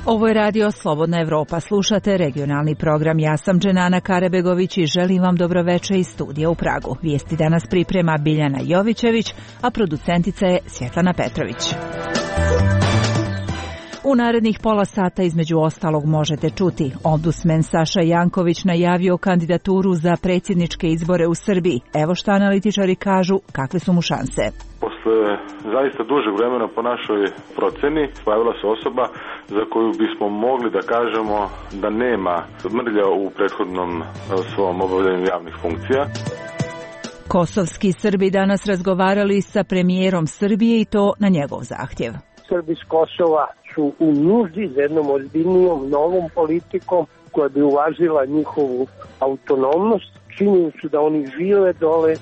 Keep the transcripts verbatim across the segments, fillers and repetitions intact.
Ovo je radio Slobodna Evropa. Slušate regionalni program. Ja sam Dženana Karebegović i želim vam dobroveče iz studija u Pragu. Vijesti danas priprema Biljana Jovićević, a producentica je Svjetlana Petrović. U narednih pola sata između ostalog možete čuti: ombudsman Saša Janković najavio kandidaturu za predsjedničke izbore u Srbiji. Evo šta analitičari kažu, kakve su mu šanse. Posle zaista dužeg vremena po našoj proceni pojavila se osoba za koju bismo mogli da kažemo da nema mrlja u prethodnom svom obavljanju javnih funkcija. Kosovski Srbi danas razgovarali sa premijerom Srbije i to na njegov zahtjev. Srbi s Kosova su u nuždi za jednom ozbiljnijom novom politikom koja bi uvažila njihovu autonomnost. Činjenicu da oni žive dole.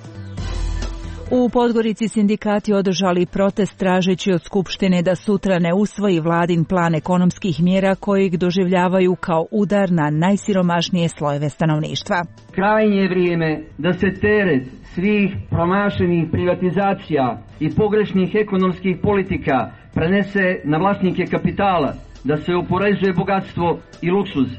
U Podgorici sindikati održali protest tražeći od Skupštine da sutra ne usvoji vladin plan ekonomskih mjera kojeg doživljavaju kao udar na najsiromašnije slojeve stanovništva. Krajnje je vrijeme da se teret svih promašenih privatizacija i pogrešnih ekonomskih politika prenese na vlasnike kapitala, da se oporezuje bogatstvo i luksuz.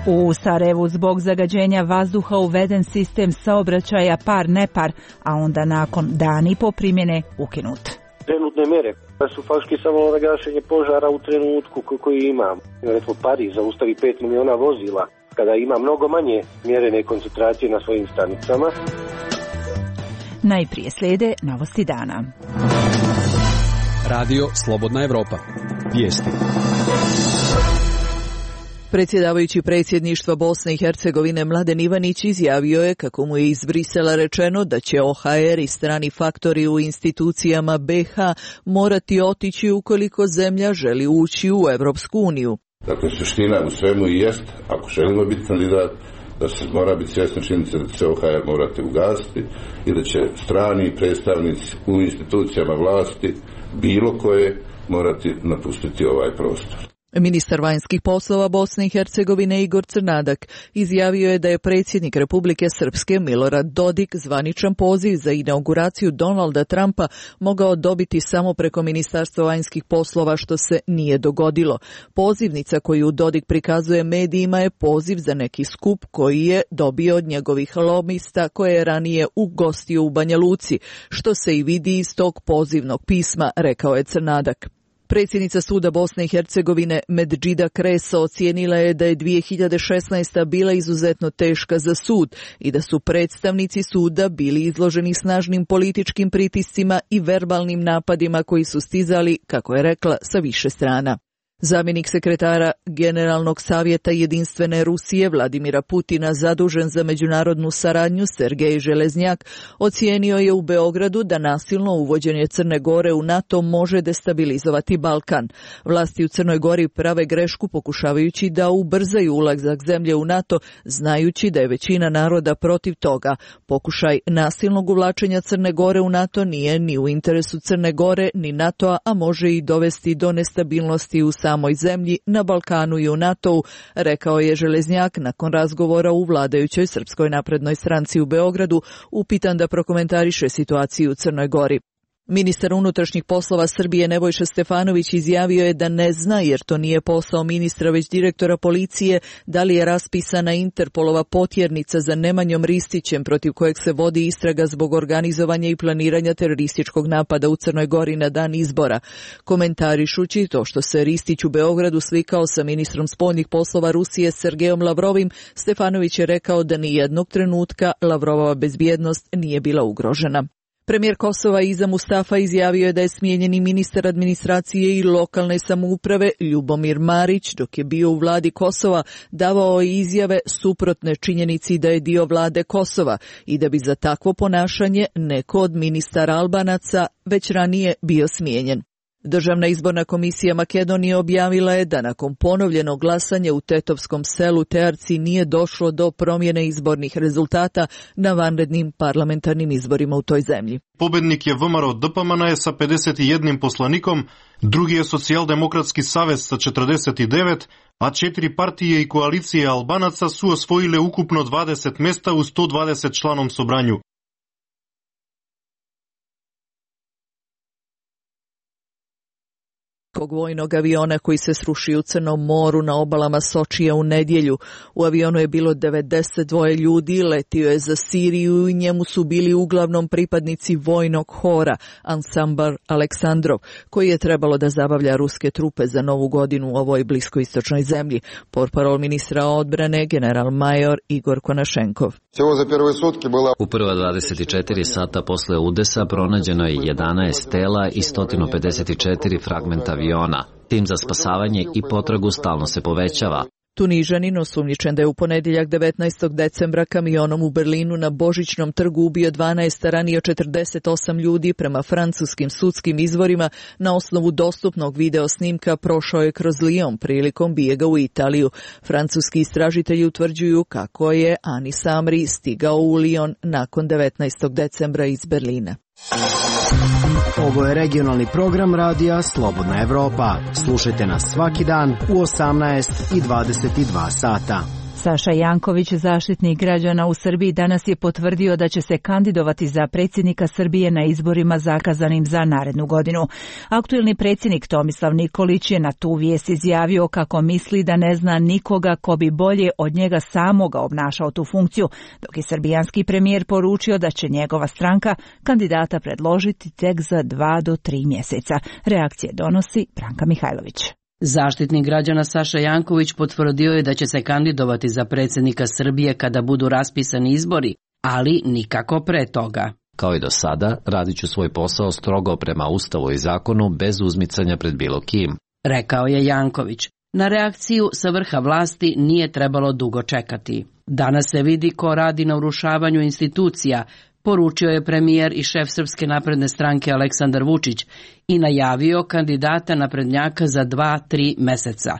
U Sarajevu zbog zagađenja vazduha uveden sistem saobraćaja par-nepar, a onda nakon dan i po primjene ukinut. Trenutne mere su faktički samo gašenje požara u trenutku koji ima. Recimo Pariz zaustavi pet miliona vozila kada ima mnogo manje mjerene koncentracije na svojim stanicama. Najprije slijede novosti dana. Radio Slobodna Evropa. Vijesti. Predsjedavajući predsjedništva Bosne i Hercegovine Mladen Ivanić izjavio je kako mu je iz Brisela rečeno da će O H R i strani faktori u institucijama B H morati otići ukoliko zemlja želi ući u Evropsku uniju. Dakle, suština u svemu i jest, ako želimo biti kandidat, da se mora biti svjesna činjenica da će O H R morati ugasiti i da će strani predstavnici u institucijama vlasti bilo koje morati napustiti ovaj prostor. Ministar vanjskih poslova Bosne i Hercegovine Igor Crnadak izjavio je da je predsjednik Republike Srpske Milorad Dodik zvaničan poziv za inauguraciju Donalda Trumpa mogao dobiti samo preko Ministarstva vanjskih poslova, što se nije dogodilo. Pozivnica koju Dodik prikazuje medijima je poziv za neki skup koji je dobio od njegovih lobista koje je ranije ugostio u Banja Luci, što se i vidi iz tog pozivnog pisma, rekao je Crnadak. Predsjednica suda Bosne i Hercegovine Medžida Kreso ocijenila je da je dvije hiljade šesnaesta. bila izuzetno teška za sud i da su predstavnici suda bili izloženi snažnim političkim pritiscima i verbalnim napadima koji su stizali, kako je rekla, sa više strana. Zamjenik sekretara Generalnog savjeta Jedinstvene Rusije Vladimira Putina, zadužen za međunarodnu saradnju, Sergej Železnjak, ocijenio je u Beogradu da nasilno uvođenje Crne Gore u NATO može destabilizovati Balkan. Vlasti u Crnoj Gori prave grešku pokušavajući da ubrzaju ulazak zemlje u NATO, znajući da je većina naroda protiv toga. Pokušaj nasilnog uvlačenja Crne Gore u NATO nije ni u interesu Crne Gore ni NATO-a, a može i dovesti do nestabilnosti u samoj zemlji, na Balkanu i u NATO-u, rekao je Železnjak nakon razgovora u vladajućoj Srpskoj naprednoj stranci u Beogradu, upitan da prokomentariše situaciju u Crnoj Gori. Ministar unutrašnjih poslova Srbije Nebojša Stefanović izjavio je da ne zna, jer to nije posao ministra već direktora policije, da li je raspisana Interpolova potjernica za Nemanjom Ristićem, protiv kojeg se vodi istraga zbog organizovanja i planiranja terorističkog napada u Crnoj Gori na dan izbora. Komentarišući to što se Ristić u Beogradu slikao sa ministrom spoljnih poslova Rusije Sergejom Lavrovim, Stefanović je rekao da ni jednog trenutka Lavrovova bezbjednost nije bila ugrožena. Premijer Kosova Iza Mustafa izjavio je da je smijenjeni ministar administracije i lokalne samouprave Ljubomir Marić, dok je bio u vladi Kosova, davao izjave suprotne činjenici da je dio vlade Kosova i da bi za takvo ponašanje neko od ministara Albanaca već ranije bio smijenjen. Državna izborna komisija Makedonije objavila je da nakon ponovljenog glasanja u Tetovskom selu Tearci nije došlo do promjene izbornih rezultata na vanrednim parlamentarnim izborima u toj zemlji. Pobednik je V M R O D P M N sa pedeset jedan poslanikom, drugi je Socijaldemokratski savez sa četrdeset devet, a četiri partije i koalicije Albanaca su osvojile ukupno dvadeset mjesta u sto dvadeset članom sobranju. ruskog vojnog aviona koji se srušio u Crnom moru na obalama Sočija u nedjelju. U avionu je bilo devedeset dva ljudi, letio je za Siriju i njemu su bili uglavnom pripadnici vojnog hora Ansambl Aleksandrov, koji je trebalo da zabavlja ruske trupe za novu godinu u ovoj bliskoistočnoj zemlji. Portparol ministra odbrane general major Igor Konašenkov. U prva dvadeset četiri sata posle udesa pronađeno je jedanaest tela i sto pedeset četiri fragmenta aviona. Tim za spasavanje i potragu stalno se povećava. Tunižanin osumnjičen da je u ponedjeljak devetnaestog decembra kamionom u Berlinu na Božićnom trgu ubio dvanaest, a ranio četrdeset osam ljudi, prema francuskim sudskim izvorima, na osnovu dostupnog video snimka prošao je kroz Lyon prilikom bijega u Italiju. Francuski istražitelji utvrđuju kako je Anis Amri stigao u Lyon nakon devetnaestog decembra iz Berlina. Ovo je regionalni program radija Slobodna Evropa. Slušajte nas svaki dan u osamnaest i dvadeset dva sata. Saša Janković, zaštitnik građana u Srbiji, danas je potvrdio da će se kandidovati za predsjednika Srbije na izborima zakazanim za narednu godinu. Aktuelni predsjednik Tomislav Nikolić je na tu vijest izjavio kako misli da ne zna nikoga ko bi bolje od njega samoga obnašao tu funkciju, dok je srbijanski premijer poručio da će njegova stranka kandidata predložiti tek za dva do tri mjeseca. Reakcije donosi Branka Mihajlović. Zaštitnik građana Saša Janković potvrdio je da će se kandidovati za predsjednika Srbije kada budu raspisani izbori, ali nikako pre toga. Kao i do sada, radit ću svoj posao strogo prema Ustavu i zakonu bez uzmicanja pred bilo kim, rekao je Janković. Na reakciju sa vrha vlasti nije trebalo dugo čekati. Danas se vidi ko radi na urušavanju institucija, poručio je premijer i šef Srpske napredne stranke Aleksandar Vučić i najavio kandidata naprednjaka za dva, tri meseca.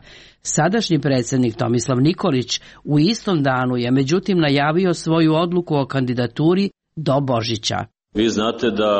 Sadašnji predsjednik Tomislav Nikolić u istom danu je međutim najavio svoju odluku o kandidaturi do Božića. Vi znate da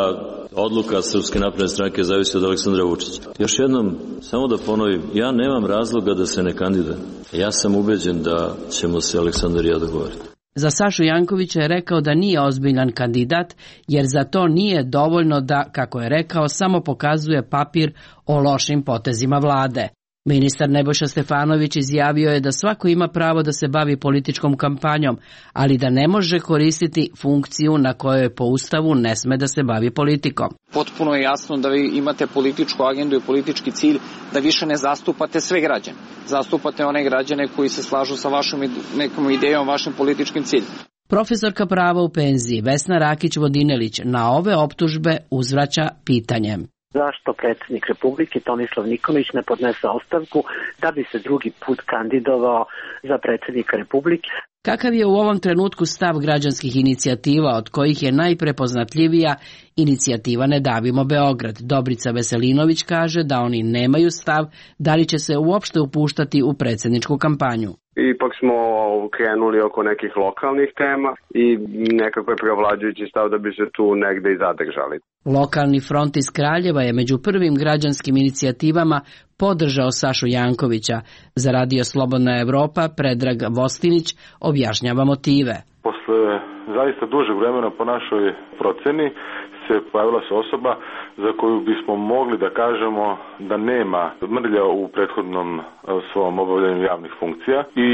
odluka Srpske napredne stranke zavisi od Aleksandra Vučića. Još jednom, samo da ponovim, ja nemam razloga da se ne kandidujem. Ja sam ubeđen da ćemo se Aleksandar i ja dogovoriti. Za Sašu Jankovića je rekao da nije ozbiljan kandidat, jer za to nije dovoljno da, kako je rekao, samo pokazuje papir o lošim potezima vlade. Ministar Nebojša Stefanović izjavio je da svako ima pravo da se bavi političkom kampanjom, ali da ne može koristiti funkciju na kojoj po Ustavu ne sme da se bavi politikom. Potpuno je jasno da vi imate političku agendu i politički cilj da više ne zastupate sve građane. Zastupate one građane koji se slažu sa vašom nekom idejom, vašim političkim ciljem. Profesorka prava u penziji Vesna Rakić-Vodinelić na ove optužbe uzvraća pitanjem. Zašto predsjednik Republike Tomislav Nikolić ne podnese ostavku da bi se drugi put kandidovao za predsjednika Republike? Kakav je u ovom trenutku stav građanskih inicijativa, od kojih je najprepoznatljivija inicijativa Ne davimo Beograd? Dobrica Veselinović kaže da oni nemaju stav da li će se uopšte upuštati u predsjedničku kampanju. Ipak smo krenuli oko nekih lokalnih tema i nekako je preovlađujući stav da bi se tu negde i zadržali. Lokalni front iz Kraljeva je među prvim građanskim inicijativama podržao Sašu Jankovića. Za Radio Slobodna Evropa Predrag Vostinić objašnjava motive. Posle zaista dužeg vremena po našoj proceni se pojavila se osoba za koju bismo mogli da kažemo da nema mrlja u prethodnom svom obavljanju javnih funkcija i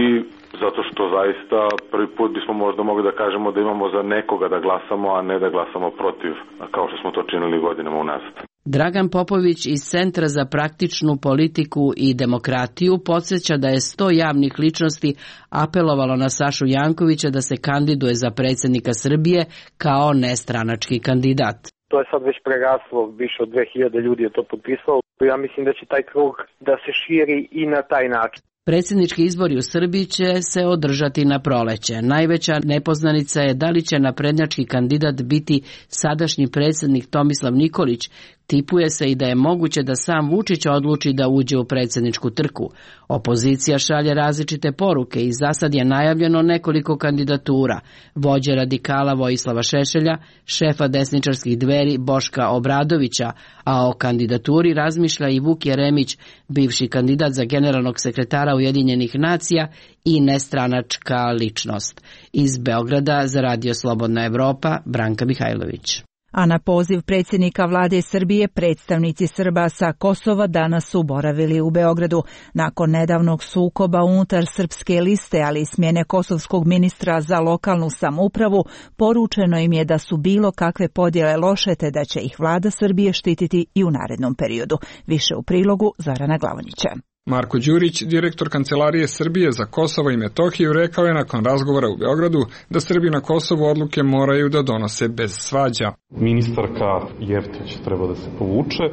zato što zaista prvi put bismo možda mogli da kažemo da imamo za nekoga da glasamo, a ne da glasamo protiv, kao što smo to činili godinama unazad. Dragan Popović iz Centra za praktičnu politiku i demokratiju podsjeća da je sto javnih ličnosti apelovalo na Sašu Jankovića da se kandiduje za predsjednika Srbije kao nestranački kandidat. To je sad već preraslo, više od dve hiljade ljudi je to potpisalo. Ja mislim da će taj krug da se širi i na taj način. Predsjednički izbori u Srbiji će se održati na proleće. Najveća nepoznanica je da li će naprednjački kandidat biti sadašnji predsjednik Tomislav Nikolić. Tipuje se i da je moguće da sam Vučić odluči da uđe u predsjedničku trku. Opozicija šalje različite poruke i zasad je najavljeno nekoliko kandidatura. Vođe radikala Vojislava Šešelja, šefa desničarskih Dveri Boška Obradovića, a o kandidaturi razmišlja i Vuk Jeremić, bivši kandidat za generalnog sekretara Ujedinjenih nacija i nestranačka ličnost. Iz Beograda za Radio Slobodna Evropa, Branka Mihajlović. A na poziv predsjednika vlade Srbije predstavnici Srba sa Kosova danas su boravili u Beogradu. Nakon nedavnog sukoba unutar srpske liste, ali i smjene kosovskog ministra za lokalnu samoupravu, poručeno im je da su bilo kakve podjele loše te da će ih vlada Srbije štititi i u narednom periodu. Više u prilogu Zorana Glavonjića. Marko Đurić, direktor Kancelarije Srbije za Kosovo i Metohiju, rekao je nakon razgovora u Beogradu da Srbi na Kosovu odluke moraju da donose bez svađa. Ministarka Jevtić treba da se povuče.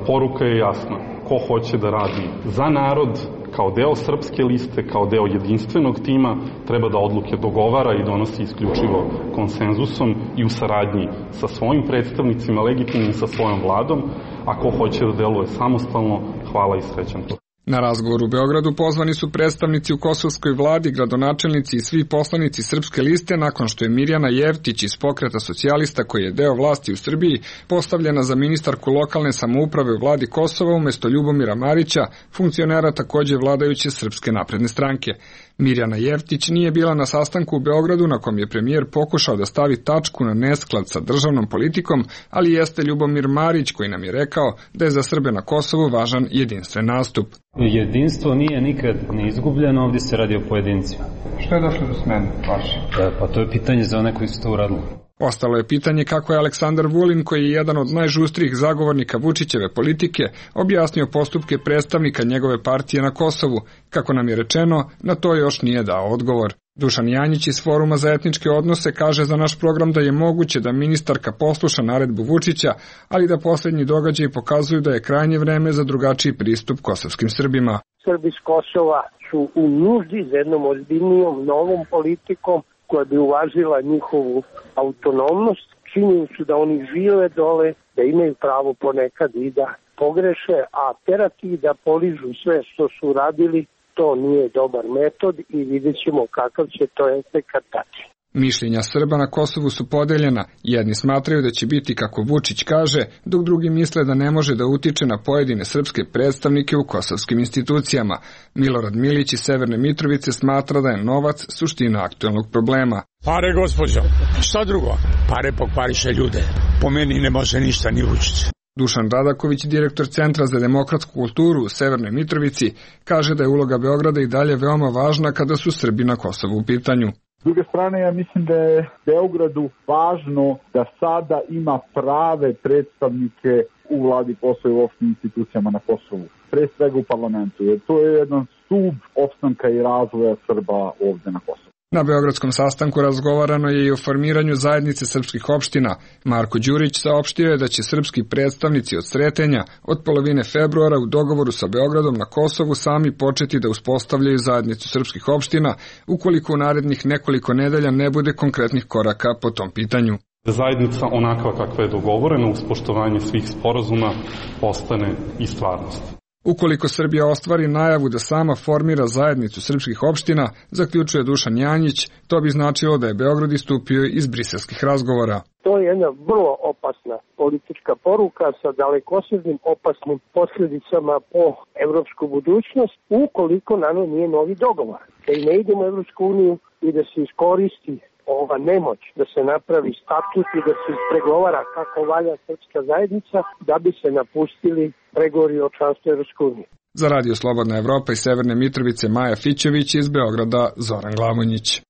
Poruka je jasna. Ko hoće da radi za narod, kao deo srpske liste, kao deo jedinstvenog tima, treba da odluke dogovara i donosi isključivo konsenzusom i u saradnji sa svojim predstavnicima, legitimnim sa svojom vladom, a ko hoće da deluje samostalno, hvala i srećan to. Na razgovor u Beogradu pozvani su predstavnici u kosovskoj vladi, gradonačelnici i svi poslanici srpske liste nakon što je Mirjana Jevtić iz Pokreta socijalista, koji je deo vlasti u Srbiji, postavljena za ministarku lokalne samouprave u vladi Kosova umjesto Ljubomira Marića, funkcionera također vladajuće Srpske napredne stranke. Mirjana Jevtić nije bila na sastanku u Beogradu na kom je premijer pokušao da stavi tačku na nesklad sa državnom politikom, ali jeste Ljubomir Marić koji nam je rekao da je za Srbe na Kosovu važan jedinstven nastup. Jedinstvo nije nikad ni izgubljeno, ovdje se radi o pojedincima. Što je došlo do smene vaše? E, pa to je pitanje za one koji su to uradili. Ostalo je pitanje kako je Aleksandar Vulin, koji je jedan od najžustrijih zagovornika Vučićeve politike, objasnio postupke predstavnika njegove partije na Kosovu. Kako nam je rečeno, na to još nije dao odgovor. Dušan Janjić iz Foruma za etničke odnose kaže za naš program da je moguće da ministarka posluša naredbu Vučića, ali da posljednji događaji pokazuju da je krajnje vreme za drugačiji pristup kosovskim Srbima. Srbi s Kosova su u nuždi za jednom ozbiljnijom novom politikom koja bi uvažila njihovu autonomnost. Činjenicu da oni žive dole, da imaju pravo ponekad i da pogreše, a terati da poližu sve što su radili, to nije dobar metod i vidjet ćemo kakav će to efekat dati. Mišljenja Srba na Kosovu su podeljena. Jedni smatraju da će biti kako Vučić kaže, dok drugi misle da ne može da utiče na pojedine srpske predstavnike u kosovskim institucijama. Milorad Milić iz Severne Mitrovice smatra da je novac suština aktuelnog problema. Pare, gospođo, šta drugo? Pare pokvariše ljude. Po meni ne može ništa ni Vučić. Dušan Radaković, direktor Centra za demokratsku kulturu u Severnoj Mitrovici, kaže da je uloga Beograda i dalje veoma važna kada su Srbi na Kosovu u pitanju. S druge strane, ja mislim da je Beogradu važno da sada ima prave predstavnike u vladi Kosova i u opštim institucijama na Kosovu, pre svega u parlamentu, jer to je jedan stub opstanka i razvoja Srba ovdje na Kosovu. Na beogradskom sastanku razgovarano je i o formiranju zajednice srpskih opština. Marko Đurić saopštio je da će srpski predstavnici od Sretenja od polovine februara u dogovoru sa Beogradom na Kosovu sami početi da uspostavljaju zajednicu srpskih opština, ukoliko u narednih nekoliko nedelja ne bude konkretnih koraka po tom pitanju. Zajednica onakva kakva je dogovorena uz poštovanje svih sporazuma postane i stvarnost. Ukoliko Srbija ostvari najavu da sama formira zajednicu srpskih opština, zaključuje Dušan Janjić, to bi značilo da je Beograd istupio iz briselskih razgovora. To je jedna vrlo opasna politička poruka sa dalekosežnim opasnim posljedicama po evropsku budućnost, ukoliko na njoj nije novi dogovor. Da i ne idemo u Evropsku uniju i da se iskoristi ova nemoć, da se napravi statut i da se ispregovara kako valja srpska zajednica, da bi se napustili pregovori o članstvu Evropske unije. Za Radio Slobodna Evropa iz Severne Mitrovice Maja Fićević, iz Beograda Zoran Glavonjić.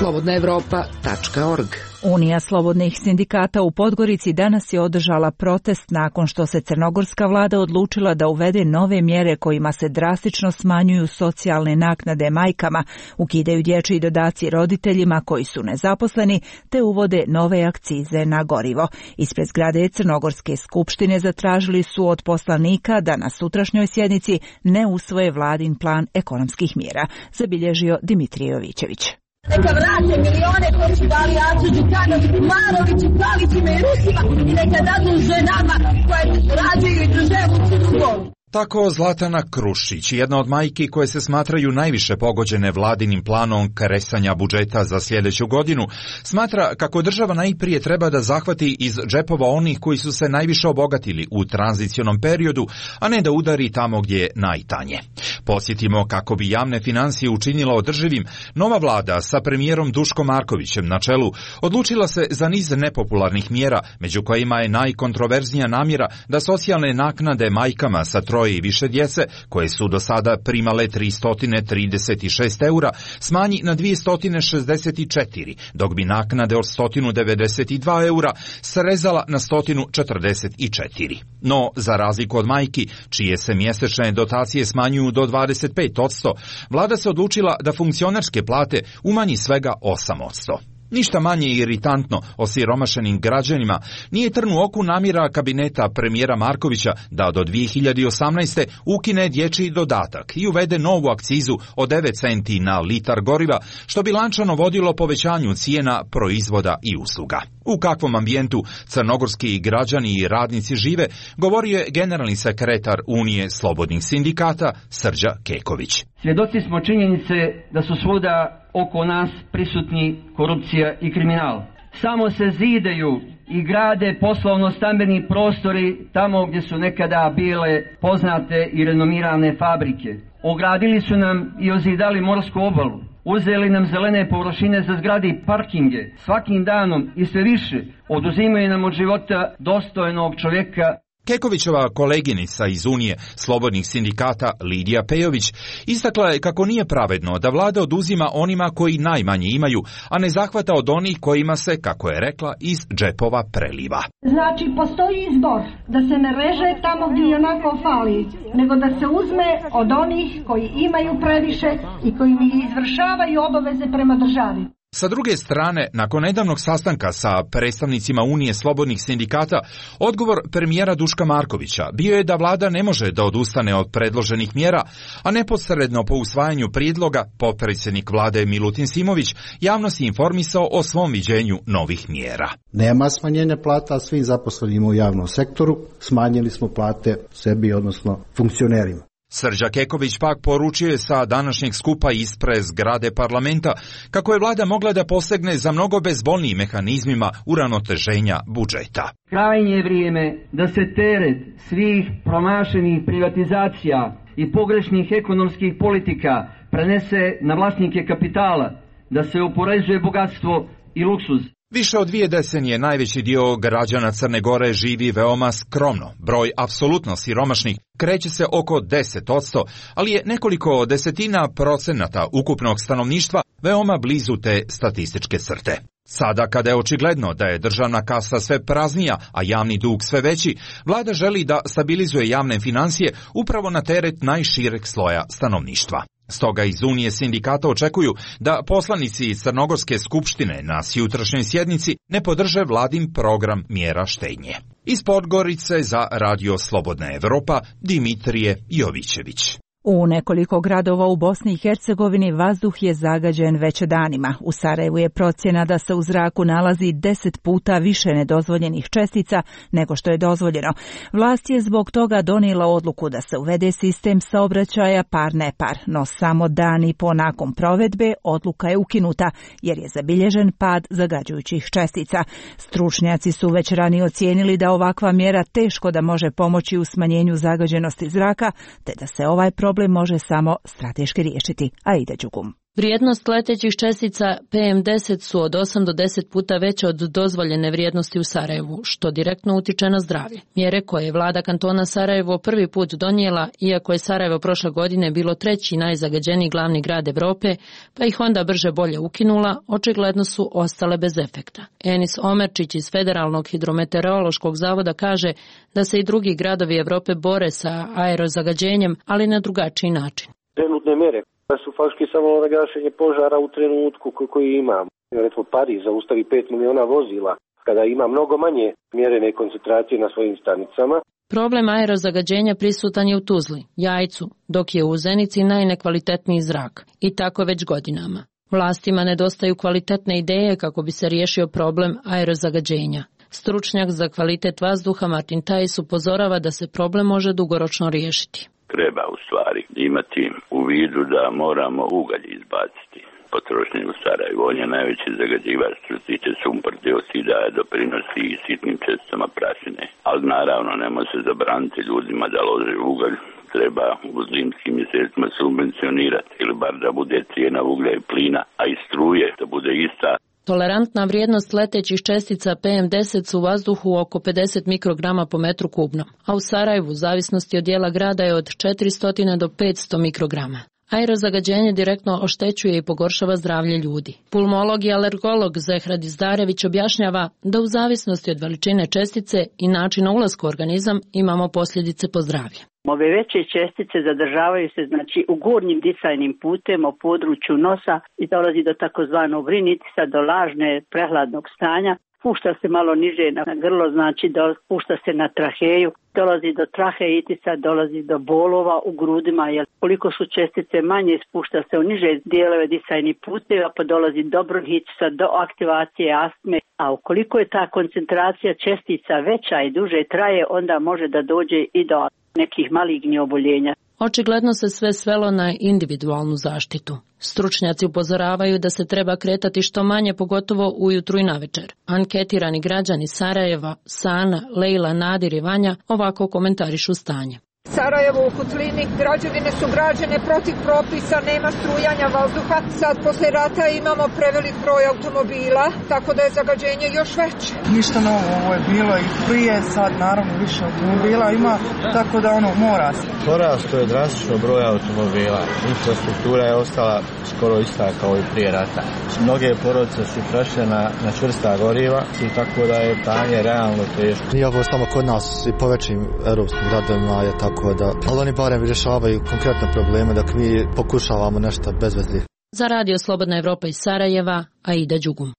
slobodna evropa tačka org. Unija slobodnih sindikata u Podgorici danas je održala protest nakon što se crnogorska vlada odlučila da uvede nove mjere kojima se drastično smanjuju socijalne naknade majkama, ukidaju dječji dodaci roditeljima koji su nezaposleni, te uvode nove akcize na gorivo. Ispred zgrade Crnogorske skupštine zatražili su od poslanika da na sutrašnjoj sjednici ne usvoje vladin plan ekonomskih mjera, zabilježio Dimitrije Jovićević. Neka vrate milione koji su dali Acu Đukanović, Maroviću, Palićima i Rusima i neka dadu ženama koje rađaju i drže u Crnu Goru. Tako Zlatana Krušić, jedna od majki koje se smatraju najviše pogođene vladinim planom kresanja budžeta za sljedeću godinu, smatra kako država najprije treba da zahvati iz džepova onih koji su se najviše obogatili u tranzicionom periodu, a ne da udari tamo gdje je najtanje. Posjetimo kako bi javne financije učinila održivim, nova vlada sa premijerom Duškom Markovićem na čelu odlučila se za niz nepopularnih mjera, među kojima je najkontroverznija namjera da socijalne naknade majkama sa troje i više djece, koje su do sada primale tristo trideset šest eura, smanji na dvjesto šezdeset četiri, dok bi naknade od sto devedeset dva eura srezala na sto četrdeset četiri. No, za razliku od majki, čije se mjesečne dotacije smanjuju do dvadeset pet posto, vlada se odlučila da funkcionarske plate umanji svega osam posto. Ništa manje iritantno osiromašenim građanima nije trn u oku namjera kabineta premijera Markovića da do dvije hiljade osamnaeste. ukine dječji dodatak i uvede novu akcizu od devet centi na litar goriva, što bi lančano vodilo povećanju cijena proizvoda i usluga. U kakvom ambijentu crnogorski građani i radnici žive, govorio je generalni sekretar Unije slobodnih sindikata Srđa Keković. Svjedoci smo činjenice da su svuda oko nas prisutni korupcija i kriminal. Samo se zidaju i grade poslovno-stambeni prostori tamo gdje su nekada bile poznate i renomirane fabrike. Ogradili su nam i ozidali morsku obalu. Uzeli nam zelene površine za zgrade i parkinge. Svakim danom i sve više oduzimaju nam od života dostojnog čovjeka. Kekovićeva koleginica iz Unije slobodnih sindikata Lidija Pejović istakla je kako nije pravedno da vlada oduzima onima koji najmanje imaju, a ne zahvata od onih kojima se, kako je rekla, iz džepova preliva. Znači, postoji izbor da se ne reže tamo gdje onako fali, nego da se uzme od onih koji imaju previše i koji izvršavaju obaveze prema državi. Sa druge strane, nakon nedavnog sastanka sa predstavnicima Unije slobodnih sindikata, odgovor premijera Duška Markovića bio je da vlada ne može da odustane od predloženih mjera, a neposredno po usvajanju prijedloga potpredsjednik vlade Milutin Simović javnost je informisao o svom viđenju novih mjera. Nema smanjenja plata svim zaposlenima u javnom sektoru, smanjili smo plate sebi, odnosno funkcionerima. Srđa Keković pak poručio je sa današnjeg skupa ispred zgrade parlamenta kako je vlada mogla da posegne za mnogo bezbolnijim mehanizmima uravnoteženja budžeta. Krajnje je vrijeme da se teret svih promašenih privatizacija i pogrešnih ekonomskih politika prenese na vlasnike kapitala, da se oporezuje bogatstvo i luksuz. Više od dvije decenije najveći dio građana Crne Gore živi veoma skromno. Broj apsolutno siromašnih kreće se oko deset posto, ali je nekoliko desetina procenata ukupnog stanovništva veoma blizu te statističke crte. Sada, kada je očigledno da je državna kasa sve praznija, a javni dug sve veći, vlada želi da stabilizuje javne financije upravo na teret najšireg sloja stanovništva. Stoga iz Unije sindikata očekuju da poslanici iz Crnogorske skupštine na jutrašnjoj sjednici ne podrže vladin program mjera štednje. Iz Podgorice za Radio Slobodna Evropa, Dimitrije Jovićević. U nekoliko gradova u Bosni i Hercegovini vazduh je zagađen već danima. U Sarajevu je procjena da se u zraku nalazi deset puta više nedozvoljenih čestica nego što je dozvoljeno. Vlast je zbog toga donijela odluku da se uvede sistem saobraćaja par-nepar, no samo dan i po nakon provedbe odluka je ukinuta jer je zabilježen pad zagađujućih čestica. Stručnjaci su već ranije ocijenili da ovakva mjera teško da može pomoći u smanjenju zagađenosti zraka, te da se ovaj problem problem može samo strateški riješiti. Aida Đugum. Vrijednost letećih čestica P M deset su od osam do deset puta veće od dozvoljene vrijednosti u Sarajevu, što direktno utiče na zdravlje. Mjere koje je vlada kantona Sarajevo prvi put donijela, iako je Sarajevo prošle godine bilo treći najzagađeniji glavni grad Evrope, pa ih onda brže bolje ukinula, očigledno su ostale bez efekta. Enis Omerčić iz Federalnog hidrometeorološkog zavoda kaže da se i drugi gradovi Evrope bore sa aerozagađenjem, ali na drugačiji način. Trenutne mjere su faktički samo na gašenje požara u trenutku koji imamo. Recimo Pariz zaustavi pet miliona vozila kada ima mnogo manje mjerene koncentracije na svojim stanicama. Problem aerozagađenja prisutan je u Tuzli, Jajcu, dok je u Zenici najnekvalitetniji zrak. I tako već godinama. Vlastima nedostaju kvalitetne ideje kako bi se riješio problem aerozagađenja. Stručnjak za kvalitet vazduha Martin Tajs upozorava da se problem može dugoročno riješiti. Treba u stvari imati u vidu da moramo ugalj izbaciti. Potrošnje u Sarajevu, on je najveći zagađivač što se tiče sumpor dioksida, doprinosi i sitnim česticama prašine. Ali naravno ne može se zabraniti ljudima da lože ugalj. Treba u zimskim mjesecima subvencionirati ili bar da bude cijena uglja i plina, a i struje da bude ista. Tolerantna vrijednost letećih čestica P M deset su u vazduhu oko pedeset mikrograma po metru kubnom, a u Sarajevu u zavisnosti od dijela grada je od četiristo do petsto mikrograma. Aerozagađenje direktno oštećuje i pogoršava zdravlje ljudi. Pulmolog i alergolog Zehrad Izdarević objašnjava da u zavisnosti od veličine čestice i načina ulaska u organizam imamo posljedice po zdravlje. Ove veće čestice zadržavaju se znači u gornjim disajnim putem u području nosa i dolazi do takozvanog rinitisa, do lažne prehladnog stanja. Pušta se malo niže na grlo, znači da pušta se na traheju, dolazi do traheitisa, dolazi do bolova u grudima, jer koliko su čestice manje, spušta se u niže dijelove disajnih puteva, pa dolazi do bronhitisa, do aktivacije astme, a ukoliko je ta koncentracija čestica veća i duže traje, onda može da dođe i do nekih malignih oboljenja. Očigledno se sve svelo na individualnu zaštitu. Stručnjaci upozoravaju da se treba kretati što manje, pogotovo ujutru i navečer. Anketirani građani Sarajeva, Sana, Lejla, Nadir i Vanja ovako komentarišu stanje. Sarajevo u Kutlini, građevine su građene protiv propisa, nema strujanja vazduha. Sad posle rata imamo prevelik broj automobila, tako da je zagađenje još veće. Ništa novo, ovo je bilo i prije, sad naravno više automobila ima, tako da ono mora se. Porasto je drastično broj automobila, infrastruktura je ostala skoro ista kao i prije rata. Mnoge porodice su prešle na, na čvrsta goriva i tako da je stanje realno teško. Nije ovo samo kod nas i po većim europskim gradovima je tako. Da, ali oni barem rješavaju konkretne probleme dok mi pokušavamo nešto bez veze. Za Radio Slobodna Evropa iz Sarajeva, Aida Đugum.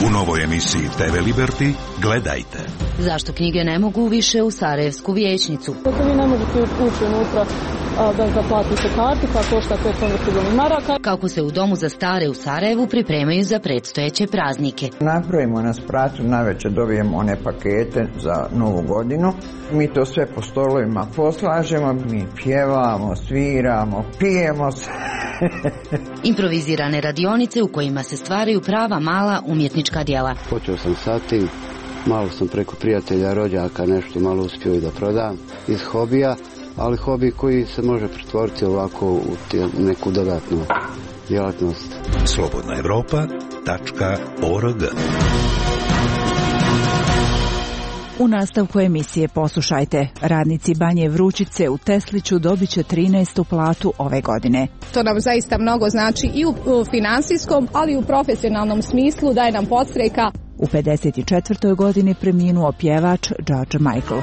U novoj emisiji T V Liberty gledajte. Zašto knjige ne mogu više u Sarajevsku vijećnicu? Kako vi ne možete ući unutra bez da platite kartu, pa košta petsto maraka. Kako se u domu za stare u Sarajevu pripremaju za predstojeće praznike. Napravimo na spratu, navečer dobijemo one pakete za novu godinu. Mi to sve po stolovima poslažemo, mi pjevamo, sviramo, pijemo se. Improvizirane radionice u kojima se stvaraju prava mala umjetnička djela. Počeo sam sa tim, malo sam preko prijatelja, rođaka nešto malo uspio i da prodam iz hobija, ali hobi koji se može pretvoriti ovako u neku dodatnu djelatnost. Slobodna Evropa tačka org. U nastavku emisije poslušajte. Radnici Banje Vrućice u Tesliću dobit će trinaestu platu ove godine. To nam zaista mnogo znači i u, u finansijskom, ali i u profesionalnom smislu, daje nam podstreka. U pedeset četvrtoj godini preminuo pjevač George Michael.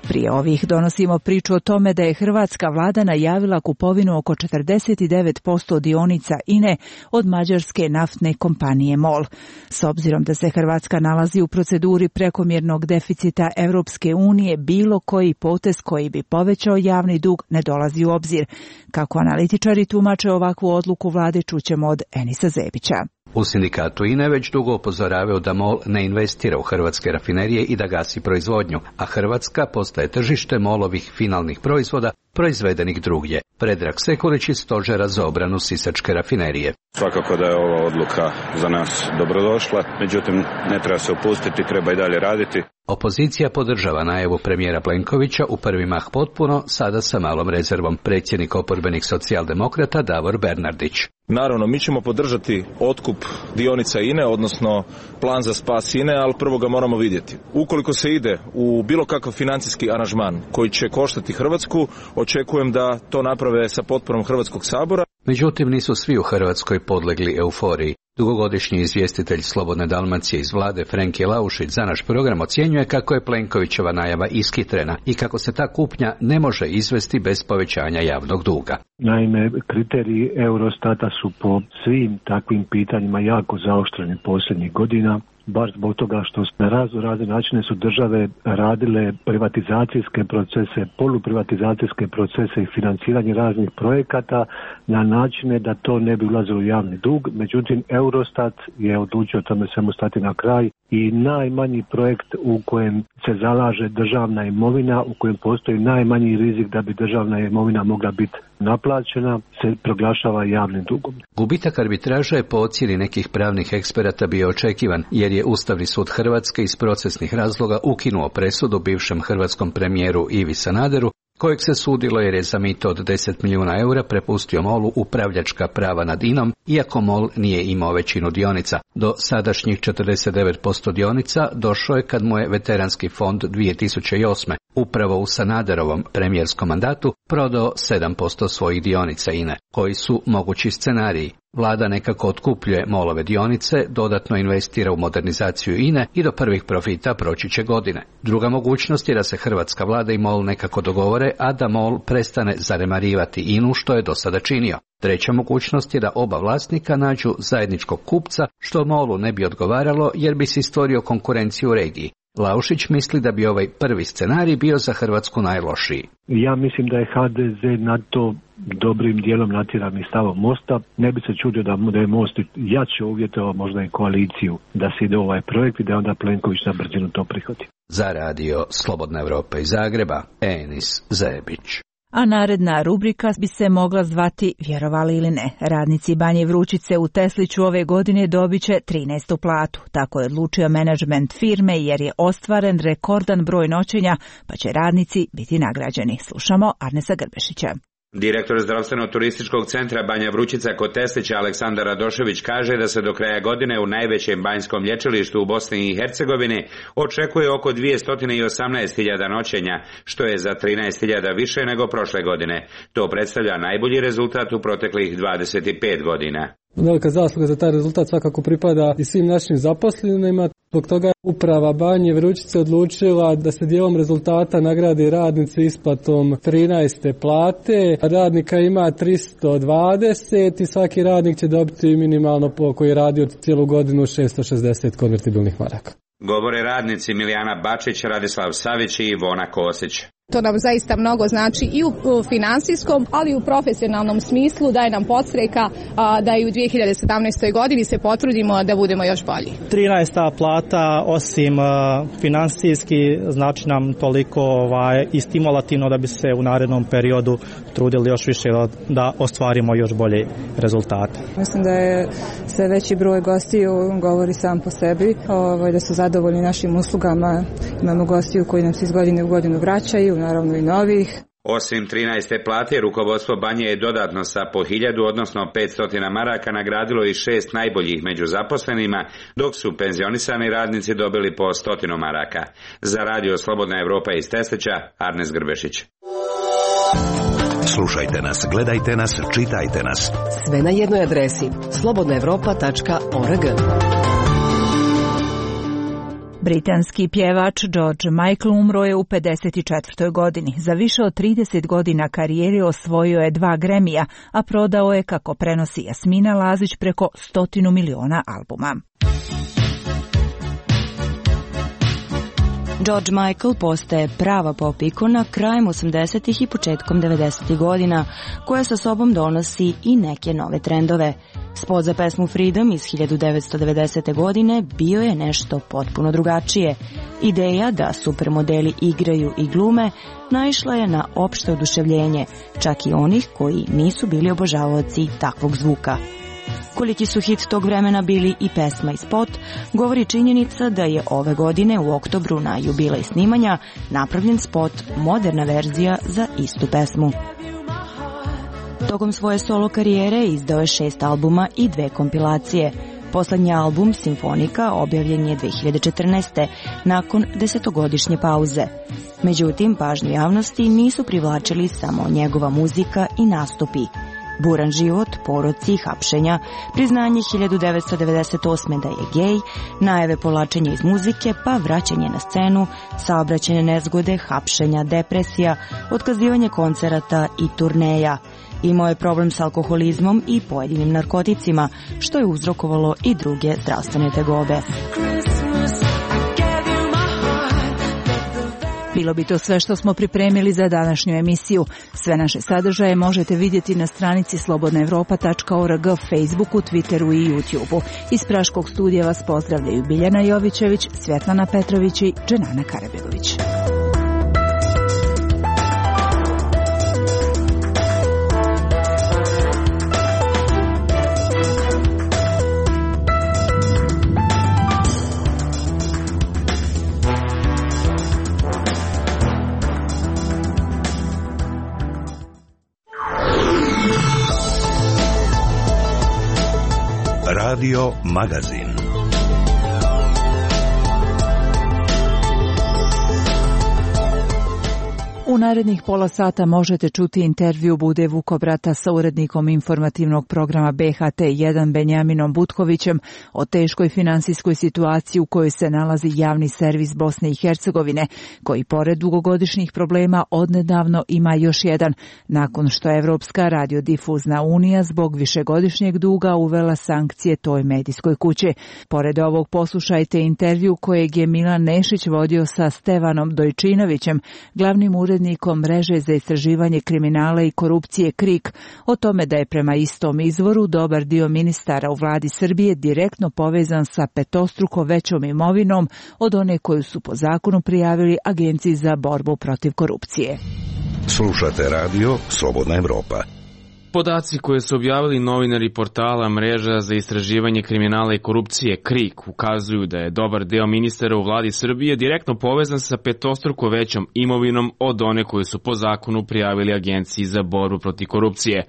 Prije ovih donosimo priču o tome da je hrvatska vlada najavila kupovinu oko četrdeset devet posto dionica I N E od mađarske naftne kompanije MOL. S obzirom da se Hrvatska nalazi u proceduri prekomjernog deficita Europske unije, bilo koji potez koji bi povećao javni dug ne dolazi u obzir. Kako analitičari tumače ovakvu odluku vlade, čućemo od Enisa Zebića. U sindikatu I N E već dugo upozoravaju da MOL ne investira u hrvatske rafinerije i da gasi proizvodnju, a Hrvatska postaje tržište MOL-ovih finalnih proizvoda proizvedenih drugdje. Predrag Sekulić iz Stožera za obranu sisačke rafinerije. Svakako da je ova odluka za nas dobrodošla, međutim ne treba se opustiti, treba i dalje raditi. Opozicija podržava najavu premijera Plenkovića u prvi mah potpuno, sada sa malom rezervom. Predsjednik oporbenih socijaldemokrata Davor Bernardić. Naravno, mi ćemo podržati otkup dionica I N E, odnosno plan za spas I N E, ali prvo ga moramo vidjeti. Ukoliko se ide u bilo kakav financijski aranžman koji će koštati Hrvatsku, očekujem da to naprave sa potporom Hrvatskog sabora. Međutim, nisu svi u Hrvatskoj podlegli euforiji. Dugogodišnji izvjestitelj Slobodne Dalmacije iz vlade Frenki Laušić za naš program ocjenjuje kako je Plenkovićeva najava iskitrena i kako se ta kupnja ne može izvesti bez povećanja javnog duga. Naime, kriteriji Eurostata su po svim takvim pitanjima jako zaoštreni posljednjih godina baš zbog toga što na razno razne načine su države radile privatizacijske procese, poluprivatizacijske procese i financiranje raznih projekata na načine da to ne bi ulazilo u javni dug. Međutim, Eurostat je odlučio tome svemu stati na kraj i najmanji projekt u kojem se zalaže državna imovina, u kojem postoji najmanji rizik da bi državna imovina mogla biti naplaćena, se proglašava javnim dugom. Gubitak arbitraža je po ocjeni nekih pravnih eksperata bio očekivan, jer je Ustavni sud Hrvatske iz procesnih razloga ukinuo presudu bivšem hrvatskom premijeru Ivi Sanaderu, kojeg se sudilo jer je za mito od deset milijuna eura prepustio MOL-u upravljačka prava nad I N-om, iako MOL nije imao većinu dionica. Do sadašnjih četrdeset devet posto dionica došao je kad mu je veteranski fond dvije tisuće osme upravo u Sanaderovom premijerskom mandatu prodao sedam posto svojih dionica I N E. Koji su mogući scenariji? Vlada nekako otkupljuje MOL-ove dionice, dodatno investira u modernizaciju I N E i do prvih profita proći će godine. Druga mogućnost je da se hrvatska vlada i MOL nekako dogovore, a da MOL prestane zanemarivati I N U što je do sada činio. Treća mogućnost je da oba vlasnika nađu zajedničkog kupca, što MOL-u ne bi odgovaralo jer bi se stvorio konkurenciju u regiji. Laušić misli da bi ovaj prvi scenarij bio za Hrvatsku najlošiji. Ja mislim da je H D Z na to dobrim dijelom natjeran i stavom Mosta. Ne bi se čudio da, da je Most jače uvjetovao možda i koaliciju da se ide u ovaj projekt i da onda Plenković na brzinu to prihvati. Za radio Slobodna Evropa iz Zagreba, Enis Zebić. A naredna rubrika bi se mogla zvati Vjerovali ili ne. Radnici Banje Vrućice u Tesliću ove godine dobit će trinaestu platu. Tako je odlučio menadžment firme jer je ostvaren rekordan broj noćenja, pa će radnici biti nagrađeni. Slušamo Arnesa Grbešića. Direktor zdravstveno-turističkog centra Banja Vrućica kod Teslića Aleksandar Radošević kaže da se do kraja godine u najvećem banjskom lječilištu u Bosni i Hercegovini očekuje oko dvjesto osamnaest hiljada noćenja, što je za trinaest hiljada više nego prošle godine. To predstavlja najbolji rezultat u proteklih dvadeset pet godina. Velika zasluga za taj rezultat svakako pripada i svim našim zaposlenima. Zbog toga je uprava Banje Vrućice odlučila da se dijelom rezultata nagradi radnici isplatom trinaeste plate. Radnika ima tristo dvadeset i svaki radnik će dobiti minimalno po koji je radio cijelu godinu šesto šezdeset konvertibilnih maraka. Govore radnici Milijana Bačić, Radislav Savić i Ivona Kosić. To nam zaista mnogo znači i u finansijskom, ali i u profesionalnom smislu, daje nam podstreka da i u dvije hiljade sedamnaestoj godini se potrudimo da budemo još bolji. trinaesta plata osim finansijski znači nam toliko ovaj, i stimulativno da bi se u narednom periodu trudili još više da ostvarimo još bolje rezultate. Mislim da je sve veći broj gostiju govori sam po sebi, ovaj, da su zadovoljni našim uslugama. Imamo gostiju koji nam se iz godine u godinu vraćaju, naravno i novih. Osim trinaeste plate, rukovodstvo Banje je dodatno sa po hiljadu, odnosno petsto maraka nagradilo i šest najboljih među zaposlenima, dok su penzionisani radnici dobili po stotinu maraka. Za radio Slobodna Evropa iz Teslića, Arnes Grbešić. Slušajte nas, gledajte nas, čitajte nas. Sve na jednoj adresi slobodna evropa tačka org. Britanski pjevač George Michael umro je u pedeset četvrtoj godini. Za više od trideset godina karijere osvojio je dva Gramija, a prodao je, kako prenosi Jasmina Lazić, preko stotinu miliona albuma. George Michael postaje prava pop ikona krajem osamdesetih i početkom devedesetih godina, koja sa sobom donosi i neke nove trendove. Spot za pesmu Freedom iz hiljadu devetsto devedesete. godine bio je nešto potpuno drugačije. Ideja da supermodeli igraju i glume naišla je na opšte oduševljenje, čak i onih koji nisu bili obožavaoci takvog zvuka. Koliki su hit tog vremena bili i pesma i spot, govori činjenica da je ove godine u oktobru na jubilej snimanja napravljen spot, moderna verzija za istu pesmu. Tokom svoje solo karijere izdao je šest albuma i dve kompilacije. Poslednji album, Simfonika, objavljen je dve hiljade četrnaeste. nakon desetogodišnje pauze. Međutim, pažnju javnosti nisu privlačili samo njegova muzika i nastupi. Buran život, poroci, hapšenja, priznanje hiljadu devetsto devedeset osme. da je gej, najave povlačenja iz muzike, pa vraćanje na scenu, saobraćajne nezgode, hapšenja, depresija, otkazivanje koncerata i turneja. Imao je problem s alkoholizmom i pojedinim narkoticima, što je uzrokovalo i druge zdravstvene tegobe. Bilo bi to sve što smo pripremili za današnju emisiju. Sve naše sadržaje možete vidjeti na stranici slobodna evropa tačka org, Facebooku, Twitteru i YouTubeu. Iz Praškog studija vas pozdravljaju Biljana Jovićević, Svjetlana Petrović i Dženana Karabegović. Radio Magazin. U narednih pola sata možete čuti intervju Bude Vukobrata sa urednikom informativnog programa B H T jedan Benjaminom Butkovićem o teškoj finansijskoj situaciji u kojoj se nalazi javni servis Bosne i Hercegovine, koji pored dugogodišnjih problema odnedavno ima još jedan, nakon što je Evropska radiodifuzna unija zbog višegodišnjeg duga uvela sankcije toj medijskoj kući. Pored ovog poslušajte intervju kojeg je Milan Nešić vodio sa Stevanom Dojčinovićem, glavnim urednikom urednikom mreže za istraživanje kriminala i korupcije KRIK, o tome da je prema istom izvoru dobar dio ministara u vladi Srbije direktno povezan sa petostruko većom imovinom od one koju su po zakonu prijavili Agenciji za borbu protiv korupcije. Slušate radio Slobodna Evropa. Podaci koje su objavili novinari portala Mreža za istraživanje kriminala i korupcije KRIK ukazuju da je dobar deo ministara u vladi Srbije direktno povezan sa petostruko većom imovinom od one koju su po zakonu prijavili Agenciji za borbu protiv korupcije.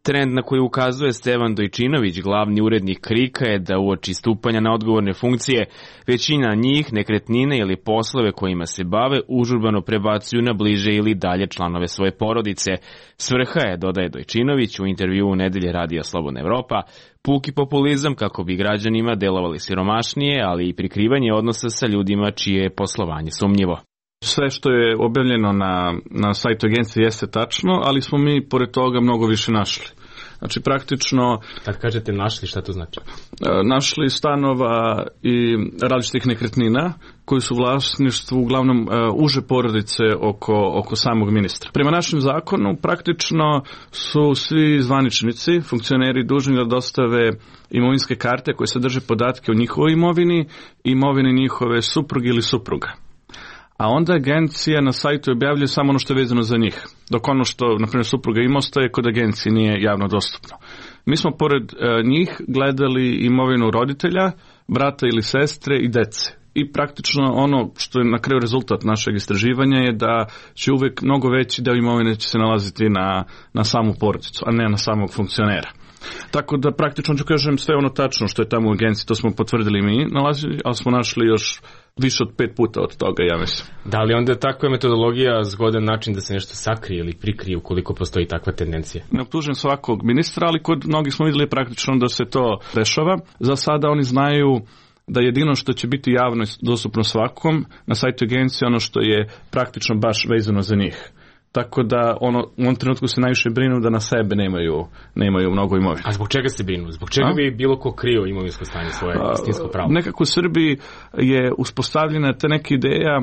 Trend na koji ukazuje Stevan Dojčinović, glavni urednik KRIK-a, je da uoči stupanja na odgovorne funkcije većina njih nekretnine ili poslove kojima se bave užurbano prebacuju na bliže ili dalje članove svoje porodice. Svrha je, dodaje Dojčinović u intervjuu u nedelje Radija Slobodna Evropa, puki populizam kako bi građanima delovali siromašnije, ali i prikrivanje odnosa sa ljudima čije je poslovanje sumnjivo. Sve što je objavljeno na, na sajtu agencije jeste tačno, ali smo mi pored toga mnogo više našli. Znači praktično... Kad kažete našli, šta to znači? Našli stanova i različitih nekretnina koji su u vlasništvu uglavnom uh, uže porodice oko, oko samog ministra. Prema našem zakonu praktično su svi zvaničnici, funkcioneri dužni da dostave imovinske karte koje sadrže podatke o njihovoj imovini i imovini njihove supruge ili supruga. A onda agencija na sajtu objavljuje samo ono što je vezano za njih, dok ono što, na primjer, supruga ima ostaje kod agencije nije javno dostupno. Mi smo pored e, njih gledali imovinu roditelja, brata ili sestre i dece. I praktično ono što je na kraju rezultat našeg istraživanja je da će uvijek mnogo veći deo imovine će se nalaziti na, na samu porodicu, a ne na samog funkcionera. Tako da praktično ću kažem sve ono tačno što je tamo u agenciji, to smo potvrdili mi nalazili, ali smo našli još više od pet puta od toga, ja mislim. Da li onda takva metodologija zgodan način da se nešto sakrije ili prikrije ukoliko postoji takva tendencija? Ne optužujem svakog ministra, ali kod mnogih smo vidjeli praktično da se to dešava. Za sada oni znaju da jedino što će biti javno dostupno svakom na sajtu agencije ono što je praktično baš vezano za njih. Tako da ono, u ovom trenutku se najviše brinu da na sebe nemaju, nemaju mnogo imovine. A zbog čega se brinu? Zbog čega A? bi bilo ko krio imovinsko stanje svoje istinsko pravo? Nekako u Srbiji je uspostavljena ta neka ideja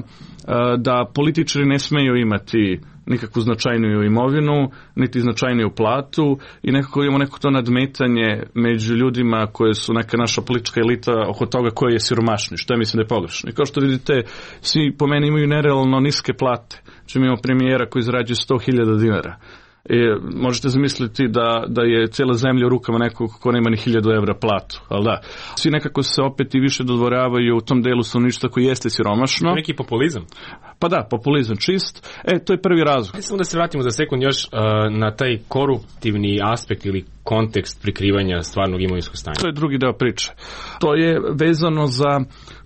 da političari ne smeju imati nikakvu značajniju imovinu, niti značajniju platu i nekako imamo neko to nadmetanje među ljudima koje su neka naša politička elita oko toga koji je siromašni, što ja mislim da je pogrešno. I kao što vidite, svi po meni imaju nerealno niske plate. Znači imamo premijera koji zarađuje sto hiljada dinara. I možete zamisliti da, da je cijela zemlja u rukama nekog ko nema ni hiljadu evra platu, ali da. Svi nekako se opet i više dodvoravaju u tom delu stanovništva koji jeste siromašno. Neki populizam? Pa da, populizam čist. E, to je prvi razlog. Samo da se vratimo za sekund još uh, na taj koruptivni aspekt ili kontekst prikrivanja stvarnog imovinskog stanja. To je drugi deo priče. To je vezano za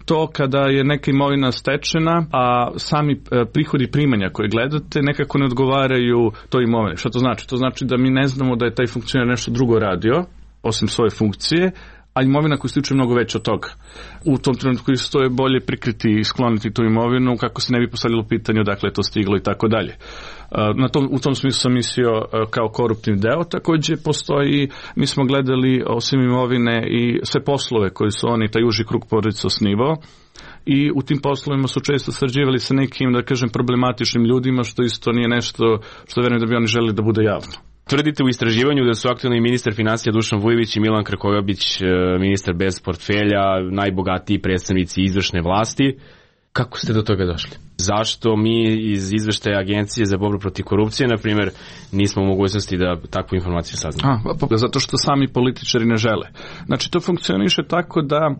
to kada je neka imovina stečena, a sami prihodi primanja koje gledate nekako ne odgovaraju toj imovini. Šta to znači? To znači da mi ne znamo da je taj funkcioner nešto drugo radio, osim svoje funkcije, a imovina koja se tiče mnogo veća od toga. U tom trenutku isto je bolje prikriti i skloniti tu imovinu kako se ne bi postavljalo pitanje odakle je to stiglo i tako dalje. Na tom, u tom smislu sam mislio kao koruptivni deo. Također postoji, mi smo gledali osim imovine i sve poslove koje su oni, taj uži krug porodice osnivao i u tim poslovima su često sarađivali sa nekim, da kažem, problematičnim ljudima, što isto nije nešto što verujem da bi oni želeli da bude javno. Tvrdite u istraživanju da su aktualni ministar financija Dušan Vujović i Milan Krkobabić, ministar bez portfelja, najbogatiji predstavnici izvršne vlasti. Kako ste do toga došli? Zašto mi iz izveštaja Agencije za borbu protiv korupcije, na primjer, nismo u mogućnosti da takvu informaciju saznamo? A, pa, zato što sami političari ne žele. Znači, to funkcioniše tako da,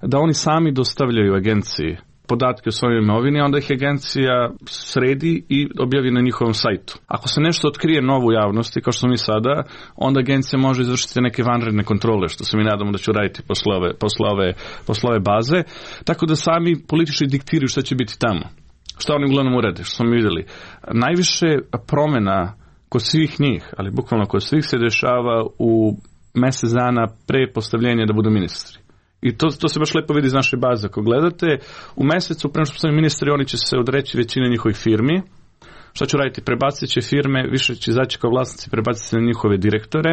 da oni sami dostavljaju agenciji podatke o svojoj imovini, onda ih agencija sredi i objavi na njihovom sajtu. Ako se nešto otkrije novo u javnosti, kao što smo mi sada, onda agencija može izvršiti neke vanredne kontrole, što se mi nadamo da će uraditi posle ove, posle ove, posle ove baze, tako da sami političari diktiraju šta će biti tamo. Šta oni uglavnom urade, što smo mi vidjeli. Najviše promjena kod svih njih, ali bukvalno kod svih, se dešava u mjesec dana pre postavljenja da budu ministri. I to, to se baš lepo vidi iz naše baze. Ako gledate, u mesecu, prema što postanu ministri, oni će se odreći većine njihovih firmi. Šta će raditi? Prebacit će firme, više će izaći kao vlasnici, prebaciti se na njihove direktore.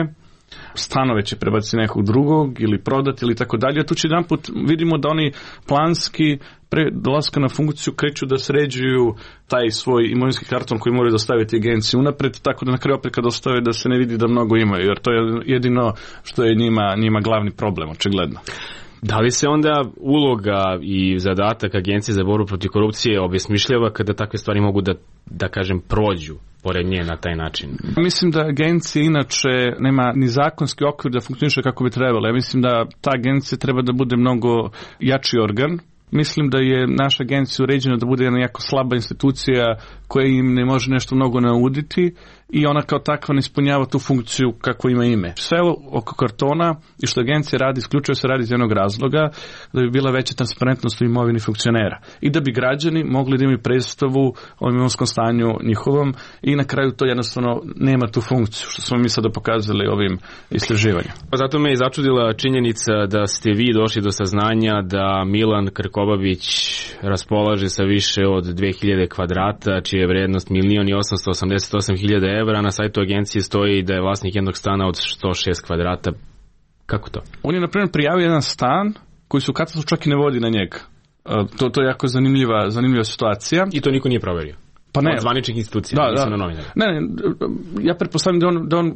Stanove će prebaciti nekog drugog ili prodati ili tako dalje. Tu će jedan put vidimo da oni planski pre dolaska na funkciju kreću da sređuju taj svoj imovinski karton koji moraju dostaviti agenciji unapred, tako da na kraju opet kad dostave da se ne vidi da mnogo imaju, jer to je jedino što je njima, njima glavni problem, očigledno. Da li se onda uloga i zadatak Agencije za borbu protiv korupcije obesmišljava kada takve stvari mogu da, da kažem, prođu pored nje na taj način? Mislim da agencija inače nema ni zakonski okvir da funkcioniše kako bi trebalo. Ja mislim da ta agencija treba da bude mnogo jači organ. Mislim da je naša agencija uređena da bude jedna jako slaba institucija koja im ne može nešto mnogo nauditi i ona kao takva ne ispunjava tu funkciju kako ima ime. Sve oko kartona i što agencija radi, isključivo se radi iz jednog razloga, da bi bila veća transparentnost u imovini funkcionera i da bi građani mogli da imaju predstavu o imovinskom stanju njihovom i na kraju to jednostavno nema tu funkciju, što smo mi sada pokazali ovim istraživanjem. Pa zato me je začudila činjenica da ste vi došli do saznanja da Milan Krkobabić raspolaže sa više od dve hiljade kvadrata, čija je vrednost milion i osamsto osamdeset osam hiljada evra. Na sajtu agencije stoji da je vlasnik jednog stana od sto šest kvadrata. Kako to? On je, na primjer, prijavio jedan stan koji su u katastru čak i ne vodi na njega. To, to je jako zanimljiva, zanimljiva situacija. I to niko nije proverio? Pa ne. Od zvaničnih institucija, da, nisu da. na novinare. Ne, ne, ja pretpostavljam da on, da on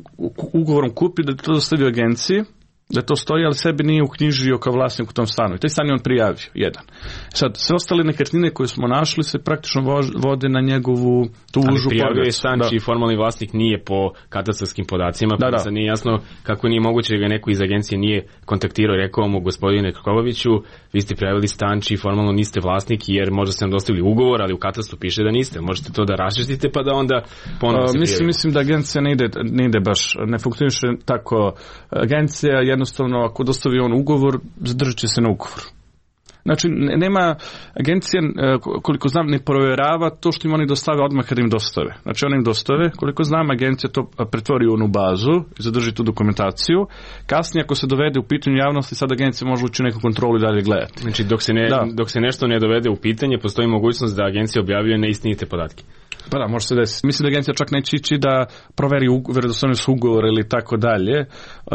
ugovorom kupi, da to dostavio agenciji, da to stoji, ali sebi nije uknjižio kao vlasnik u tom stanu. I taj stan je on prijavio, jedan. Sad, sve ostale nekretnine koje smo našli se praktično vode na njegovu tu užu. Ali prijavio je stan čiji formalni vlasnik nije po katastarskim podacima, pa da, da. Sad nije jasno kako nije moguće da ga neko iz agencije nije kontaktirao i rekao mu, gospodine Krkobabiću, vi ste prijavili stan čiji formalno niste vlasnik, jer možda ste nam dostavili ugovor, ali u katastru piše da niste. Možete to da raščistite pa da onda ponovno se mislim, mislim da agencija ne ide, ne ide baš, ne funkcioniše tako. Agencija jednostavno, ako dostavi on ugovor, zadržat će se na ugovor. Znači, nema, agencija, koliko znam, ne provjerava to što im oni dostave odmah kada im dostave. Znači, oni im dostave, koliko znam, agencija to pretvori u onu bazu i zadrži tu dokumentaciju. Kasnije, ako se dovede u pitanju javnosti, sad agencija može ući u neku kontrolu i dalje gledati. Znači, dok se, ne, dok se nešto ne dovede u pitanje, postoji mogućnost da agencija objavljuje neistinite podatke. Pa da, može se desiti. Mislim da agencija čak neće ići da proveri vjerodostojnost ugovora ili tako dalje.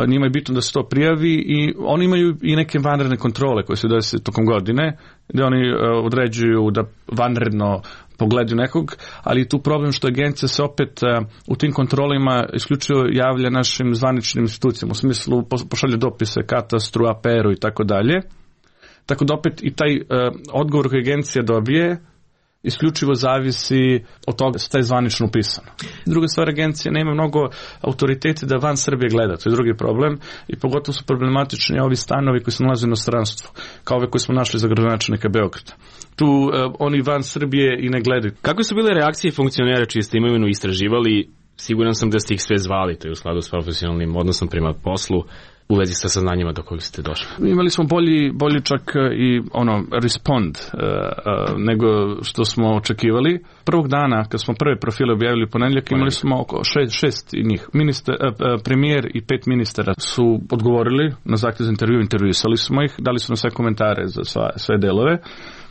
Njima je bitno da se to prijavi i oni imaju i neke vanredne kontrole koje se desi tokom godine, gdje oni određuju da vanredno pogledaju nekog, ali je tu problem što agencija se opet u tim kontrolima isključivo javlja našim zvaničnim institucijama, u smislu pošalje dopise katastru, A P R-u i tako dalje. Tako da opet i taj odgovor koji agencija dobije isključivo zavisi od toga što je zvanično upisano. Druga stvar, agencija nema mnogo autoriteti da van Srbije gleda, to je drugi problem i pogotovo su problematični ovi stanovi koji se nalaze u inostranstvu, kao ove koje smo našli za gradonačelnika Beograda. Tu uh, oni van Srbije i ne gledaju. Kako su bile reakcije funkcionera čiji ste imovinu istraživali? Siguran sam da ste ih sve zvali, to je u skladu s profesionalnim odnosom prema poslu, u vezi sa saznanjima do kojih ste došli. Imali smo bolji, bolji čak i ono respond uh, uh, nego što smo očekivali. Prvog dana kad smo prve profile objavili u ponedjeljak imali smo oko šest, šest njih. Minister, uh, uh, premijer i pet ministara su odgovorili na zahtjev za intervju, intervjuisali smo ih, dali su nam sve komentare za sva, sve delove.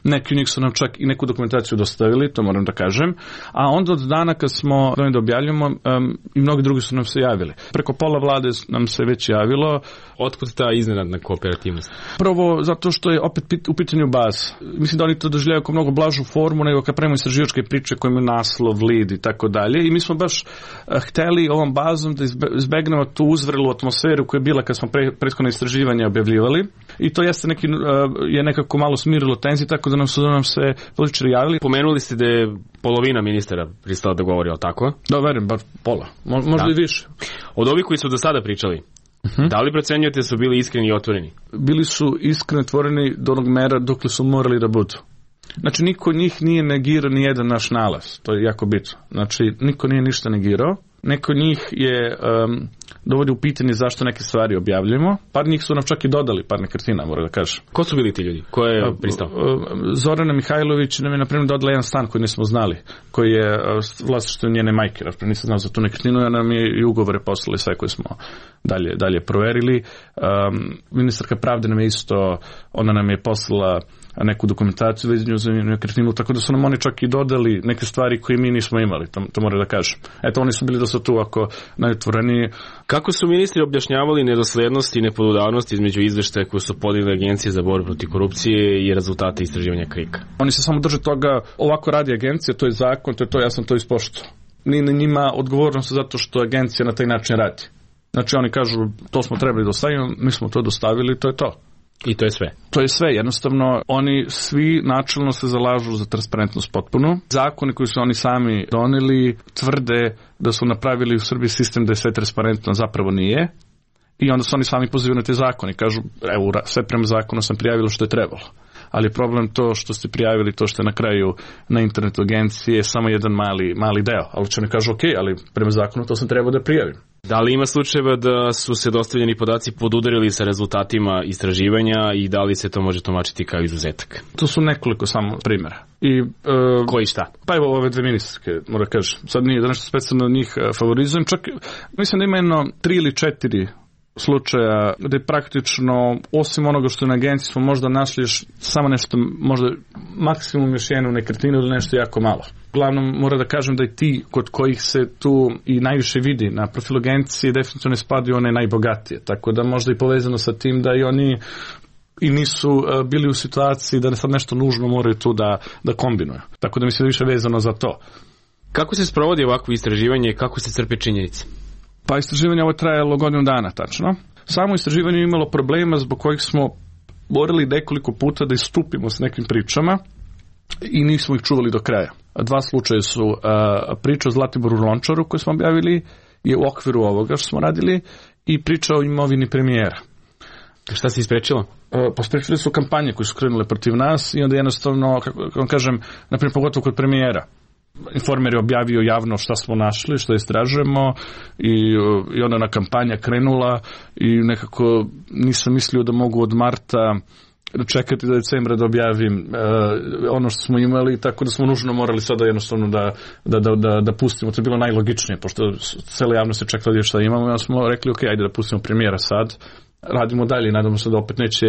neki od njih su nam čak i neku dokumentaciju dostavili, to moram da kažem, a onda od dana kad smo dojem da objavljamo um, i mnogi drugi su nam se javili. Preko pola vlade nam se već javilo. Otkud ta iznenadna kooperativnost? Prvo, zato što je opet pit, u pitanju baza. Mislim da oni to doživljaju kao mnogo blažu formu nego kad pravimo istraživačke priče koje imaju naslov, lead i tako dalje. I mi smo baš uh, hteli ovom bazom da izbegnemo tu uzvrelu atmosferu koja je bila kad smo pre, prethodno istraživanje objavljivali. I to jeste neki, uh, je nekako malo smirilo tenziju, tako da nam su da nam se političari javili. Pomenuli ste da je polovina ministara pristala da govori o tako? Da, verujem, bar pola. Mo, možda da. I više. Od ovih koji su do sada pričali, uh-huh. da li procenjujete da su bili iskreni i otvoreni? Bili su iskreni otvoreni do onog mera dokle su morali da budu. Znači, niko od njih nije negirao ni jedan naš nalaz. To je jako bitno. Znači, niko nije ništa negirao. Neko od njih je um, dovodi u pitanje zašto neke stvari objavljujemo. Par njih su nam čak i dodali par nekretnina, moram da kažem. Ko su bili ti ljudi? Ko je pristao? Zorana Mihajlović nam je, na primjer, dodala jedan stan koji nismo znali, koji je vlasništvo njene majke. Nisam znao za tu nekretninu, a nam je i ugovore poslali sve koje smo dalje, dalje proverili. Um, ministarka pravde nam je isto, ona nam je poslala neku dokumentaciju vezanju za nekretninu, tako da su nam oni čak i dodali neke stvari koje mi nismo imali, to, to moram da kažem. Eto, oni su bili dosta tu ako najotvoreniji. Kako su ministri objašnjavali nedoslednosti i nepodudarnosti između izveštaja koje su podijeli Agencije za borbu protiv korupcije i rezultate istraživanja Krika? Oni se samo drže toga, ovako radi agencija, to je zakon, to je to, ja sam to ispoštovao. Nije na njima odgovornost zato što agencija na taj način radi. Znači oni kažu, to smo trebali dostaviti, mi smo to dostavili, to je to. I to je sve. To je sve, jednostavno oni svi načelno se zalažu za transparentnost potpuno. Zakoni koji su oni sami doneli tvrde da su napravili u Srbiji sistem da je sve transparentno, zapravo nije. I onda su oni sami pozivaju na te zakone. Kažu, evo, sve prema zakonu sam prijavilo što je trebalo. Ali problem to što ste prijavili, to što je na kraju na internetu agencije je samo jedan mali, mali deo. Ali će oni kažu, ok, ali prema zakonu to sam trebao da prijavim. Da li ima slučajeva da su se dostavljeni podaci podudarili sa rezultatima istraživanja i da li se to može tumačiti kao izuzetak? To su nekoliko samo primjera. I, uh, koji šta? Pa evo ove dve ministarske, moram kažem. Sad nije da nešto specijalno od njih favorizujem. Čak mislim da ima jedno tri ili četiri slučaja gde praktično, osim onoga što je na agenciji, smo možda našli samo nešto, možda maksimum još jednu nekretninu ili nešto jako malo. Uglavnom, moram da kažem da i ti kod kojih se tu i najviše vidi na profilu agencije definitivno ne spadaju one najbogatije. Tako da možda i povezano sa tim da i oni i nisu uh, bili u situaciji da ne sad nešto nužno moraju tu da, da kombinuju. Tako da mislim da više vezano za to. Kako se sprovodi ovakvo istraživanje i kako se crpe činjenice? Pa istraživanje ovo je trajalo godinu dana, tačno. Samo istraživanje je imalo problema zbog kojih smo morali nekoliko puta da istupimo s nekim pričama i nismo ih čuvali do kraja. Dva slučaja su uh, priča o Zlatiboru Lončaru koju smo objavili je u okviru ovoga što smo radili i priča o imovini premijera. Šta se isprečilo? Uh, pa sprečili su kampanje koje su krenule protiv nas i onda jednostavno, kako vam kažem, naprimjer pogotovo kod premijera. Informer je objavio javno šta smo našli, što istražujemo i, i onda na kampanja krenula i nekako nisam mislio da mogu od marta čekati do decembra da objavim uh, ono što smo imali, tako da smo nužno morali sada jednostavno da, da, da, da, da pustimo. To je bilo najlogičnije, pošto cijela javnost je čekala šta imamo i onda smo rekli ok, ajde da pustimo premijera sad. Radimo dalje i nadamo se da opet neće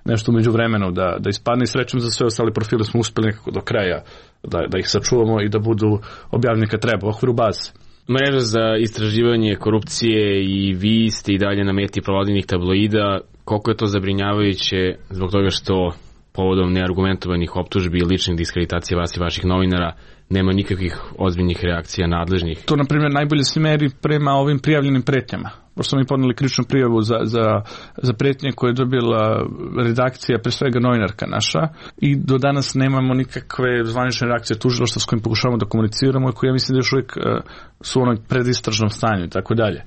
nešto umeđu vremenu da, da ispadne i srećom za sve ostale profile smo uspeli nekako do kraja da, da ih sačuvamo i da budu objavljeni kad treba u okviru baze. Mreža za istraživanje korupcije i vi ste i dalje na meti provladinih tabloida. Koliko je to zabrinjavajuće zbog toga što povodom neargumentovanih optužbi i ličnih diskreditacija vas i vaših novinara nema nikakvih ozbiljnih reakcija nadležnih? To, na primjer, najbolje se meri prema ovim prijavljenim pretnjama. Pošto smo mi podneli krivičnu prijavu za, za, za pretnje koje je dobila redakcija, pre svega novinarka naša, i do danas nemamo nikakve zvanične reakcije tužilaštva s kojim pokušavamo da komuniciramo i koje ja mislim da još uvijek uh, su u onom predistražnom stanju i tako dalje.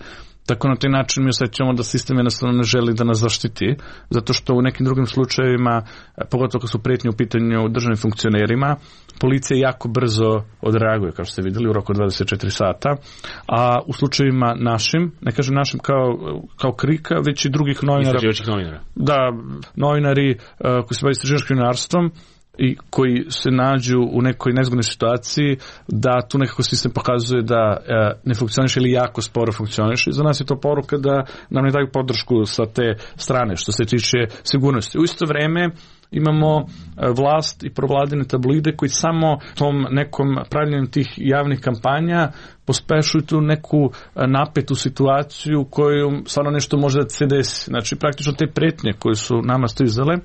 Tako na taj način mi osjećamo da sistem jednostavno ne želi da nas zaštiti, zato što u nekim drugim slučajevima, pogotovo kad su pretnje u pitanju državnim funkcionerima, policija jako brzo odreaguje, kao što ste vidjeli, u roku dvadeset četiri sata, a u slučajevima našim, ne kažem našim kao, kao Krika, već i drugih novinara. Istraživačkih novinara. Da, novinari uh, koji se bave istraživačkim novinarstvom, i koji se nađu u nekoj nezgodnoj situaciji, da tu nekako sistem pokazuje da ne funkcioniše ili jako sporo funkcioniše. I za nas je to poruka da nam ne daju podršku sa te strane što se tiče sigurnosti. U isto vreme imamo vlast i provladine tabloide koji samo tom nekom pravljenjem tih javnih kampanja pospešuju tu neku napetu situaciju koju stvarno nešto može da se desi. Znači praktično te pretnje koje su nama stizale,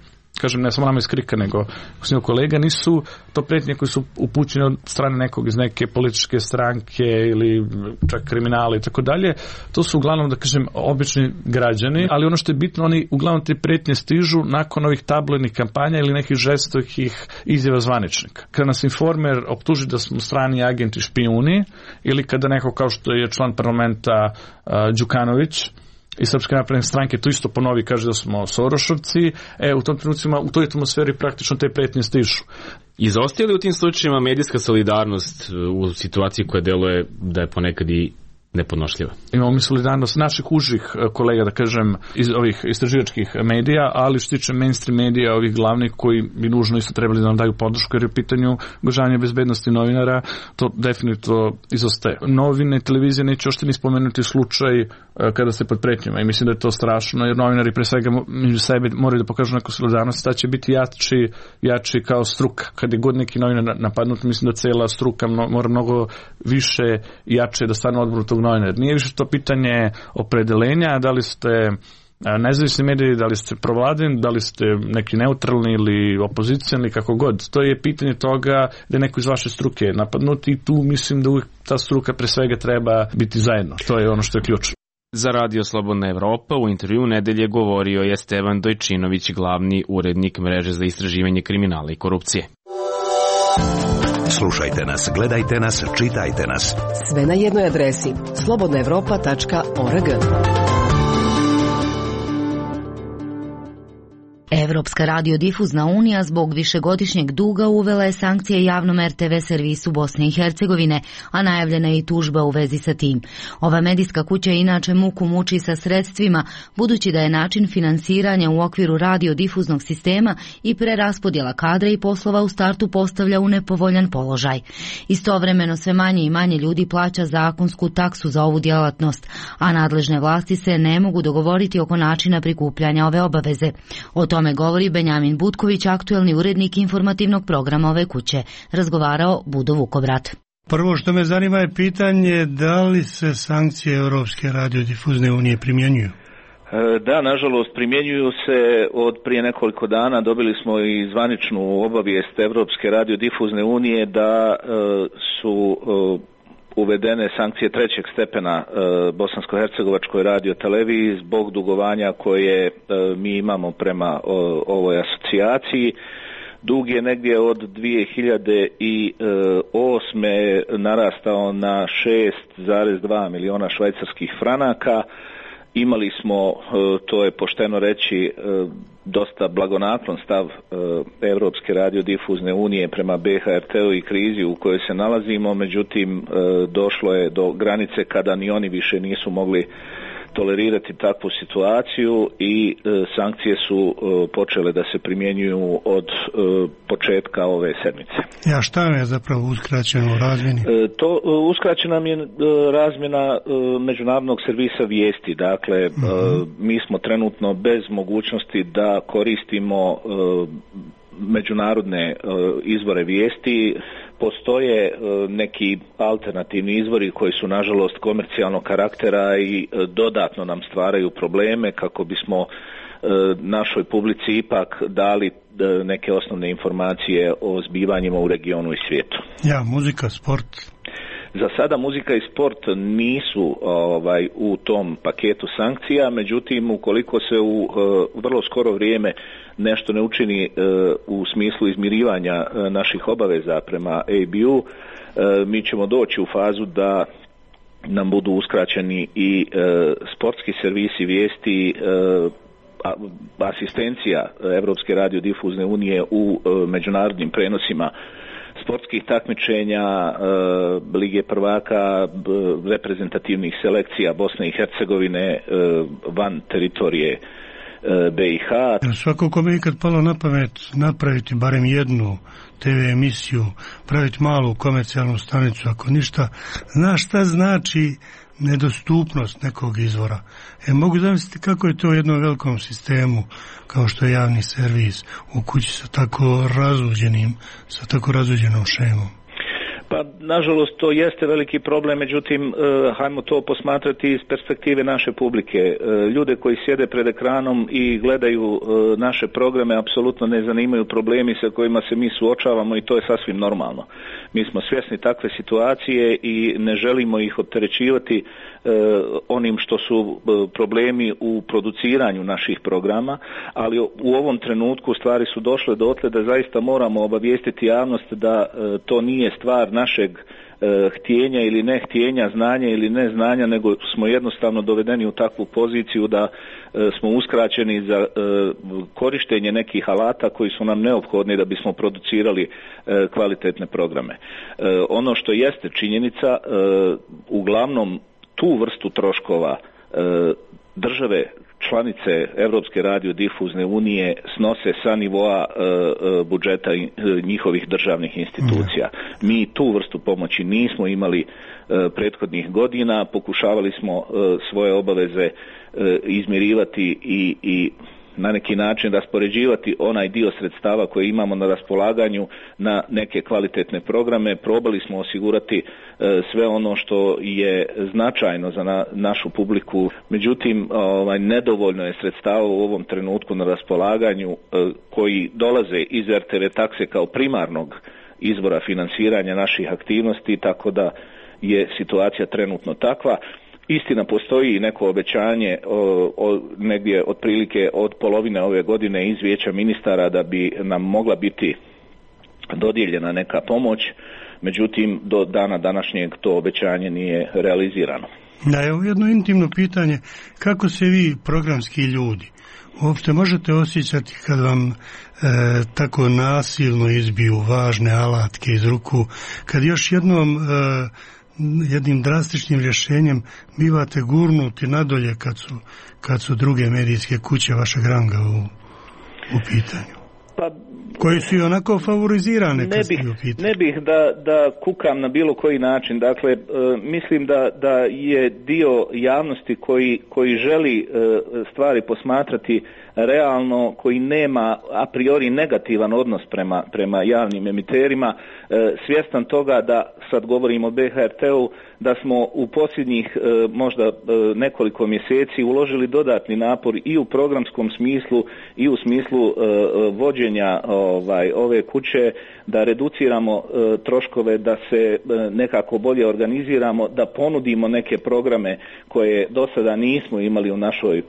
kažem ne samo nama iz Krika nego s kolega, nisu to pretnje koje su upućene od strane nekog iz neke političke stranke ili čak kriminala i tako dalje. To su uglavnom, da kažem, obični građani, ali ono što je bitno, oni uglavnom te pretnje stižu nakon ovih tabloidnih kampanja ili nekih žestokih izjava zvaničnika. Kada nas Informer optuži da smo strani agenti špijuni ili kada neko kao što je član parlamenta uh, Đukanović i Srpske napredne stranke to isto ponovi, kaže da smo Sorošovci, e, u tom trenucima, u toj atmosferi praktično te pretnje stižu. Izostaje li u tim slučajima medijska solidarnost u situaciji koja deluje da je ponekad i nepodnošljiva? Imamo mi solidarnost naših užih kolega, da kažem, iz ovih istraživačkih medija, ali što tiče mainstream medija, ovih glavnih koji bi nužno isto trebali da nam daju podršku, jer je u pitanju ugrožavanja bezbednosti novinara, to definitivno izostaje. Novine, televizije neće ošte ni spomenuti slučaj kada se pod pretnjama i mislim da je to strašno, jer novinari pre svega među sebe moraju da pokažu neku solidarnost, da će biti jači, jači kao struka. Kad je god neki novinar napadnut, mislim da cela struka mora mnogo više i jače da stane u odboru tog novinara. Nije više to pitanje opredelenja, da li ste nezavisni mediji, da li ste provladini, da li ste neki neutralni ili opozicijani, kako god. To je pitanje toga da je neko iz vaše struke napadnut i tu mislim da uvijek ta struka pre svega treba biti zajedno. To je ono što je ključno. Za Radio Slobodna Evropa u intervju nedelje govorio je Stevan Dojčinović, glavni urednik mreže za istraživanje kriminala i korupcije. Slušajte nas, gledajte nas, čitajte nas. Sve na jednoj adresi slobodna evropa tačka org. Evropska radiodifuzna unija zbog višegodišnjeg duga uvela je sankcije javnom er te ve servisu Bosne i Hercegovine, a najavljena je i tužba u vezi sa tim. Ova medijska kuća inače muku muči sa sredstvima, budući da je način finansiranja u okviru radiodifuznog sistema i preraspodjela kadra i poslova u startu postavlja u nepovoljan položaj. Istovremeno sve manje i manje ljudi plaća zakonsku taksu za ovu djelatnost, a nadležne vlasti se ne mogu dogovoriti oko načina prikupljanja ove obaveze. O tome govori Benjamin Butković, aktuelni urednik informativnog programa ove kuće. Razgovarao Budo Vukobrat. Prvo što me zanima je pitanje da li se sankcije Europske radiodifuzne unije primjenjuju? Da, nažalost, primjenjuju se od prije nekoliko dana. Dobili smo i zvaničnu obavijest Europske radiodifuzne unije da su uvedene sankcije trećeg stepena e, Bosansko-hercegovačkoj radioteleviziji zbog dugovanja koje e, mi imamo prema o, ovoj asocijaciji. Dug je negdje od dvije hiljade osme narastao na šest zarez dva miliona švajcarskih franaka. Imali smo, to je pošteno reći, dosta blagonaklon stav Europske radiodifuzne unije prema be ha er te-u i krizi u kojoj se nalazimo, međutim došlo je do granice kada ni oni više nisu mogli tolerirati takvu situaciju i e, sankcije su e, počele da se primjenjuju od e, početka ove sedmice. Ja, šta je zapravo uskraćeno u razmjeni? E, to e, uskraćena mi je e, razmjena e, međunarodnog servisa vijesti. Dakle, uh-huh. e, mi smo trenutno bez mogućnosti da koristimo e, međunarodne e, izvore vijesti. Postoje e, neki alternativni izvori koji su nažalost komercijalnog karaktera i e, dodatno nam stvaraju probleme kako bismo e, našoj publici ipak dali e, neke osnovne informacije o zbivanjima u regionu i svijetu. Ja, muzika, sport. Za sada muzika i sport nisu ovaj u tom paketu sankcija, međutim ukoliko se u e, vrlo skoro vrijeme nešto ne učini e, u smislu izmirivanja e, naših obaveza prema A B U, e, mi ćemo doći u fazu da nam budu uskraćeni i e, sportski servisi vijesti, e, asistencija Europske radiodifuzne unije u e, međunarodnim prenosima sportskih takmičenja, e, Lige prvaka, b, reprezentativnih selekcija Bosne i Hercegovine e, van teritorije B i H. Svako kome je ikad palo na pamet napraviti barem jednu te ve emisiju, praviti malu komercijalnu stanicu, ako ništa, zna šta znači nedostupnost nekog izvora. E, mogu zamisliti kako je to u jednom velikom sistemu, kao što je javni servis, u kući sa tako razuđenim, sa tako razuđenom šemom. Pa, nažalost, to jeste veliki problem, međutim, uh, hajmo to posmatrati iz perspektive naše publike. Uh, ljude koji sjede pred ekranom i gledaju uh, naše programe apsolutno ne zanimaju problemi sa kojima se mi suočavamo i to je sasvim normalno. Mi smo svjesni takve situacije i ne želimo ih opterećivati uh, onim što su uh, problemi u produciranju naših programa, ali u ovom trenutku stvari su došle dotle da zaista moramo obavijestiti javnost da uh, to nije stvar našeg e, htjenja ili ne htjenja, znanja ili ne znanja, nego smo jednostavno dovedeni u takvu poziciju da e, smo uskraćeni za e, korištenje nekih alata koji su nam neophodni da bismo producirali e, kvalitetne programe. E, ono što jeste činjenica, e, uglavnom tu vrstu troškova e, države članice Europske radiodifuzne unije snose sa nivoa e, e, budžeta e, njihovih državnih institucija. Mi tu vrstu pomoći nismo imali e, prethodnih godina, pokušavali smo e, svoje obaveze e, izmirivati i, i na neki način raspoređivati onaj dio sredstava koje imamo na raspolaganju na neke kvalitetne programe. Probali smo osigurati e, sve ono što je značajno za na, našu publiku. Međutim, ovaj, nedovoljno je sredstava u ovom trenutku na raspolaganju e, koji dolaze iz er te ve takse kao primarnog izvora finansiranja naših aktivnosti, tako da je situacija trenutno takva. Istina, postoji neko obećanje o, o, negdje otprilike od polovine ove godine iz Vijeća ministara da bi nam mogla biti dodijeljena neka pomoć, međutim do dana današnjeg to obećanje nije realizirano. Da, evo jedno intimno pitanje, kako se vi programski ljudi uopšte možete osjećati kad vam e, tako nasilno izbiju važne alatke iz ruku, kad još jednom e, jednim drastičnim rješenjem bivate gurnuti nadolje kad su, kad su druge medijske kuće vašeg ranga u, u pitanju? Pa, koji su i onako favorizirane? Ne bih, ne bih da, da kukam na bilo koji način. Dakle, e, mislim da, da je dio javnosti koji, koji želi e, stvari posmatrati realno, koji nema a priori negativan odnos prema, prema javnim emiterima, e, svjestan toga da, sad govorimo o be ha er te-u, da smo u posljednjih e, možda e, nekoliko mjeseci uložili dodatni napor i u programskom smislu i u smislu e, vođenja ovaj, ove kuće, da reduciramo e, troškove, da se e, nekako bolje organiziramo, da ponudimo neke programe koje do sada nismo imali u našoj e,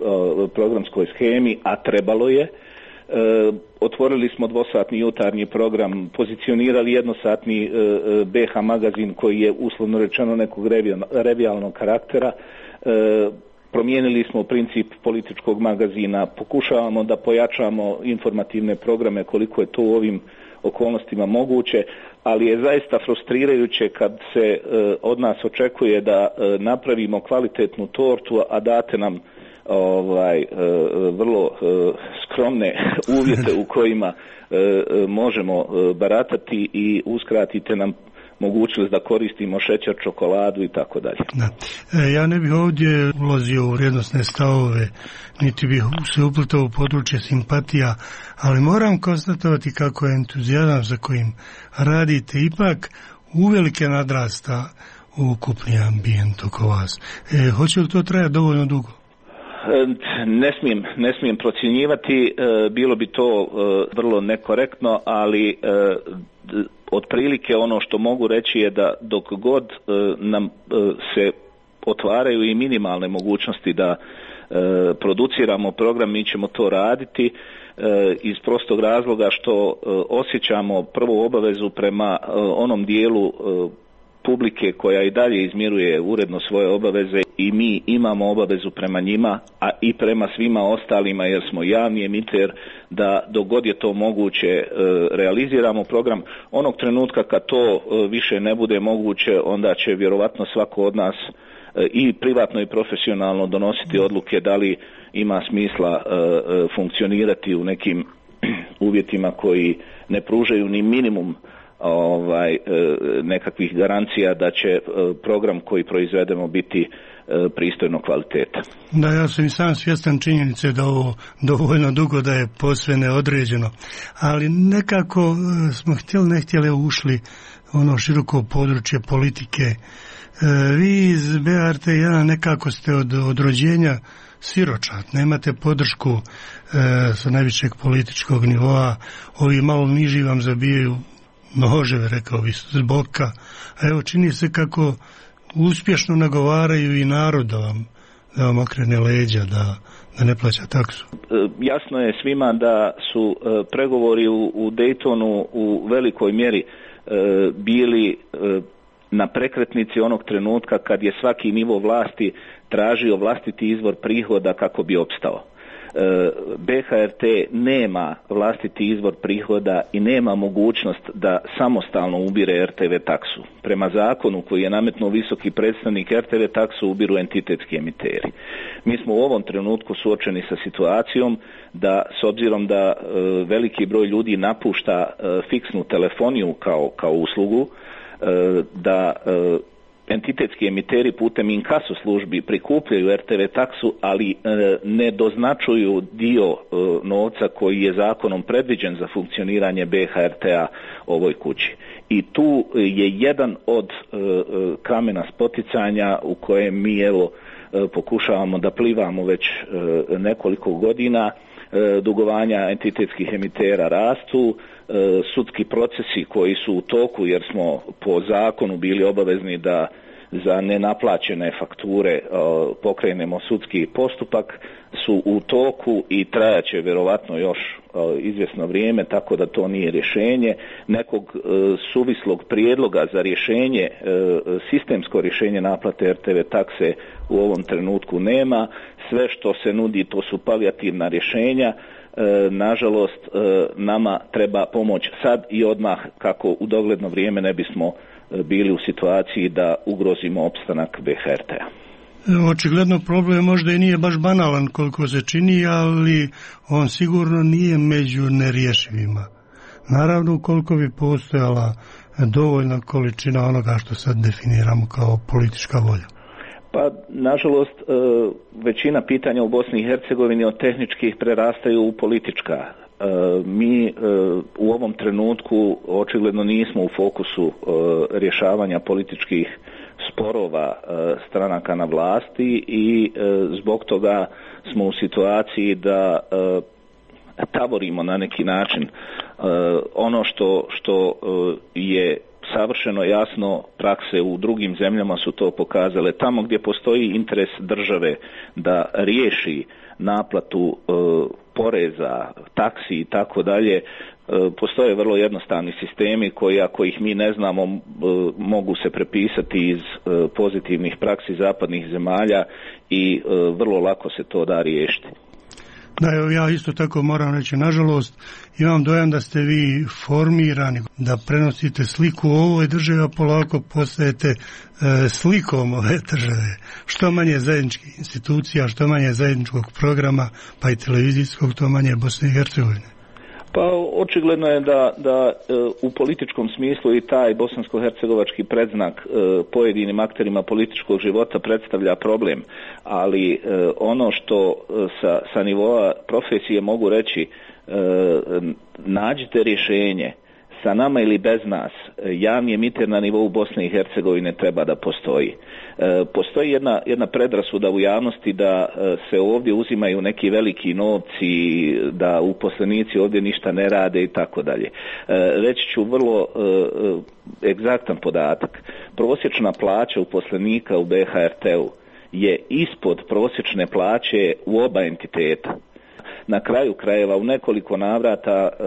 programskoj shemi, a trebalo je. E, otvorili smo dvosatni jutarnji program, pozicionirali jednosatni e, be ha magazin koji je uslovno rečeno nekog revijalnog karaktera, e, promijenili smo princip političkog magazina, pokušavamo da pojačamo informativne programe koliko je to u ovim okolnostima moguće, ali je zaista frustrirajuće kad se e, od nas očekuje da e, napravimo kvalitetnu tortu, a date nam ovaj e, vrlo e, skromne uvjete u kojima e, e, možemo e, baratati i uskratite nam mogućnost da koristimo šećer, čokoladu i tako dalje. Da. E, ja ne bih ovdje ulazio u vrijednosne stavove, niti bih se upletao u područje simpatija, ali moram konstatovati kako je entuzijazam za kojim radite ipak uvelike nadrasta ukupni ambijent oko vas. E, hoće li to trajati dovoljno dugo? Ne smijem, ne smijem procjenjivati, bilo bi to vrlo nekorektno, ali otprilike ono što mogu reći je da dok god nam se otvaraju i minimalne mogućnosti da produciramo program, mi ćemo to raditi iz prostog razloga što osjećamo prvu obavezu prema onom dijelu publike koja i dalje izmiruje uredno svoje obaveze i mi imamo obavezu prema njima, a i prema svima ostalima jer smo javni emiter, da dok god je to moguće e, realiziramo program. Onog trenutka kad to e, više ne bude moguće, onda će vjerovatno svako od nas i privatno i profesionalno donositi odluke da li ima smisla funkcionirati u nekim uvjetima koji ne pružaju ni minimum ovaj nekakvih garancija da će program koji proizvedemo biti pristojno kvaliteta. Da, ja sam i sam svjestan činjenice da ovo dovoljno dugo da je posve neodređeno, ali nekako smo htjeli ne htjeli ušli ono široko područje politike. Vi iz B R T jedan nekako ste od, od rođenja siročat, nemate podršku e, sa najvišeg političkog nivoa, ovi malo niži vam zabijaju noževe, rekao bi, s boka, a evo čini se kako uspješno nagovaraju i narod da vam, da vam okrene leđa, da, da ne plaća taksu. Jasno je svima da su pregovori u, u Daytonu u velikoj mjeri bili na prekretnici onog trenutka kad je svaki nivo vlasti tražio vlastiti izvor prihoda kako bi opstao. B H R T nema vlastiti izvor prihoda i nema mogućnost da samostalno ubire R T V taksu. Prema zakonu koji je nametnuo visoki predstavnik, R T V taksu ubiru entitetski emiteri. Mi smo u ovom trenutku suočeni sa situacijom da, s obzirom da e, veliki broj ljudi napušta e, fiksnu telefoniju kao, kao uslugu, e, da e, entitetski emiteri putem inkaso službi prikupljaju R T V taksu, ali e, ne doznačuju dio e, novca koji je zakonom predviđen za funkcioniranje B H R T-a ovoj kući. I tu je jedan od e, kamena spoticanja u kojem mi evo e, pokušavamo da plivamo već e, nekoliko godina. E, dugovanja entitetskih emitera rastu, e, sudski procesi koji su u toku jer smo po zakonu bili obavezni da za nenaplaćene fakture uh, pokrenemo sudski postupak su u toku i trajaće vjerovatno još uh, izvjesno vrijeme, tako da to nije rješenje. Nekog uh, suvislog prijedloga za rješenje, uh, sistemsko rješenje naplate R T V takse u ovom trenutku nema. Sve što se nudi to su palijativna rješenja. Uh, nažalost uh, nama treba pomoć sad i odmah kako u dogledno vrijeme ne bismo bili u situaciji da ugrozimo opstanak B H R T-a. Očigledno problem možda i nije baš banalan koliko se čini, ali on sigurno nije među nerješivima. Naravno, koliko bi postojala dovoljna količina onoga što sad definiramo kao politička volja. Pa, nažalost, većina pitanja u Bosni i Hercegovini od tehničkih prerastaju u politička. Mi u ovom trenutku očigledno nismo u fokusu rješavanja političkih sporova stranaka na vlasti i zbog toga smo u situaciji da tavorimo na neki način. Ono što, što je savršeno jasno, prakse u drugim zemljama su to pokazale. Tamo gdje postoji interes države da riješi naplatu e, poreza, taksi i tako dalje, postoje vrlo jednostavni sistemi koji, ako ih mi ne znamo, e, mogu se prepisati iz e, pozitivnih praksi zapadnih zemalja i e, vrlo lako se to da riješiti. Da, evo ja isto tako moram reći, nažalost, imam dojam da ste vi formirani, da prenosite sliku o ovoj državi, a polako postajete e, slikom ove države. Što manje zajedničkih institucija, što manje zajedničkog programa, pa i televizijskog, to manje Bosne i Hercegovine. Pa očigledno je da, da e, u političkom smislu i taj bosansko-hercegovački predznak e, pojedinim akterima političkog života predstavlja problem, ali e, ono što e, sa, sa nivoa profesije mogu reći, e, nađite rješenje, sa nama ili bez nas, javni emiter na nivou Bosne i Hercegovine treba da postoji. E, postoji jedna, jedna predrasuda u javnosti da e, se ovdje uzimaju neki veliki novci, da uposlenici ovdje ništa ne rade i tako dalje. Reći ću vrlo e, egzaktan podatak. Prosječna plaća uposlenika u B H R T-u je ispod prosječne plaće u oba entiteta. Na kraju krajeva u nekoliko navrata e,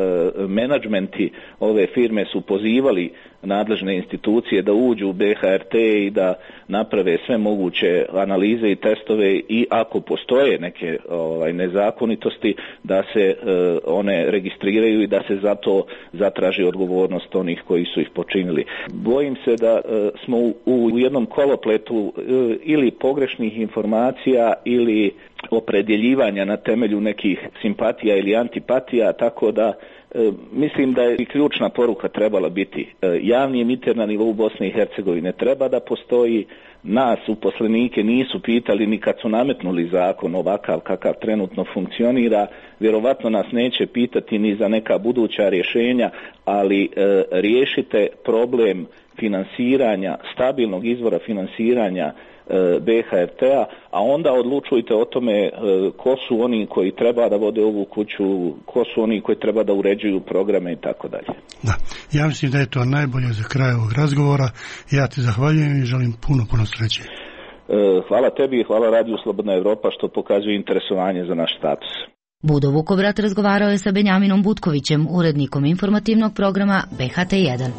menadžmenti ove firme su pozivali nadležne institucije da uđu u B H R T i da naprave sve moguće analize i testove i ako postoje neke ovaj, nezakonitosti da se e, one registriraju i da se zato zatraži odgovornost onih koji su ih počinili. Bojim se da e, smo u, u jednom kolopletu e, ili pogrešnih informacija ili opredjeljivanja na temelju nekih simpatija ili antipatija, tako da e, mislim da je i ključna poruka trebala biti e, javni emiter na nivou Bosne i Hercegovine treba da postoji. Nas uposlenike nisu pitali ni kad su nametnuli zakon ovakav kakav trenutno funkcionira, vjerovatno nas neće pitati ni za neka buduća rješenja, ali e, riješite problem finansiranja, stabilnog izvora finansiranja B H R T-a, a onda odlučujte o tome ko su oni koji treba da vode ovu kuću, ko su oni koji treba da uređuju programe i tako dalje. Da, ja mislim da je to najbolje za kraj ovog razgovora. Ja ti zahvaljujem i želim puno, puno sreće. Hvala tebi i hvala Radiju Slobodna Evropa što pokazuje interesovanje za naš status. Budo Vukovrat razgovarao je sa Benjaminom Butkovićem, urednikom informativnog programa B H T jedan.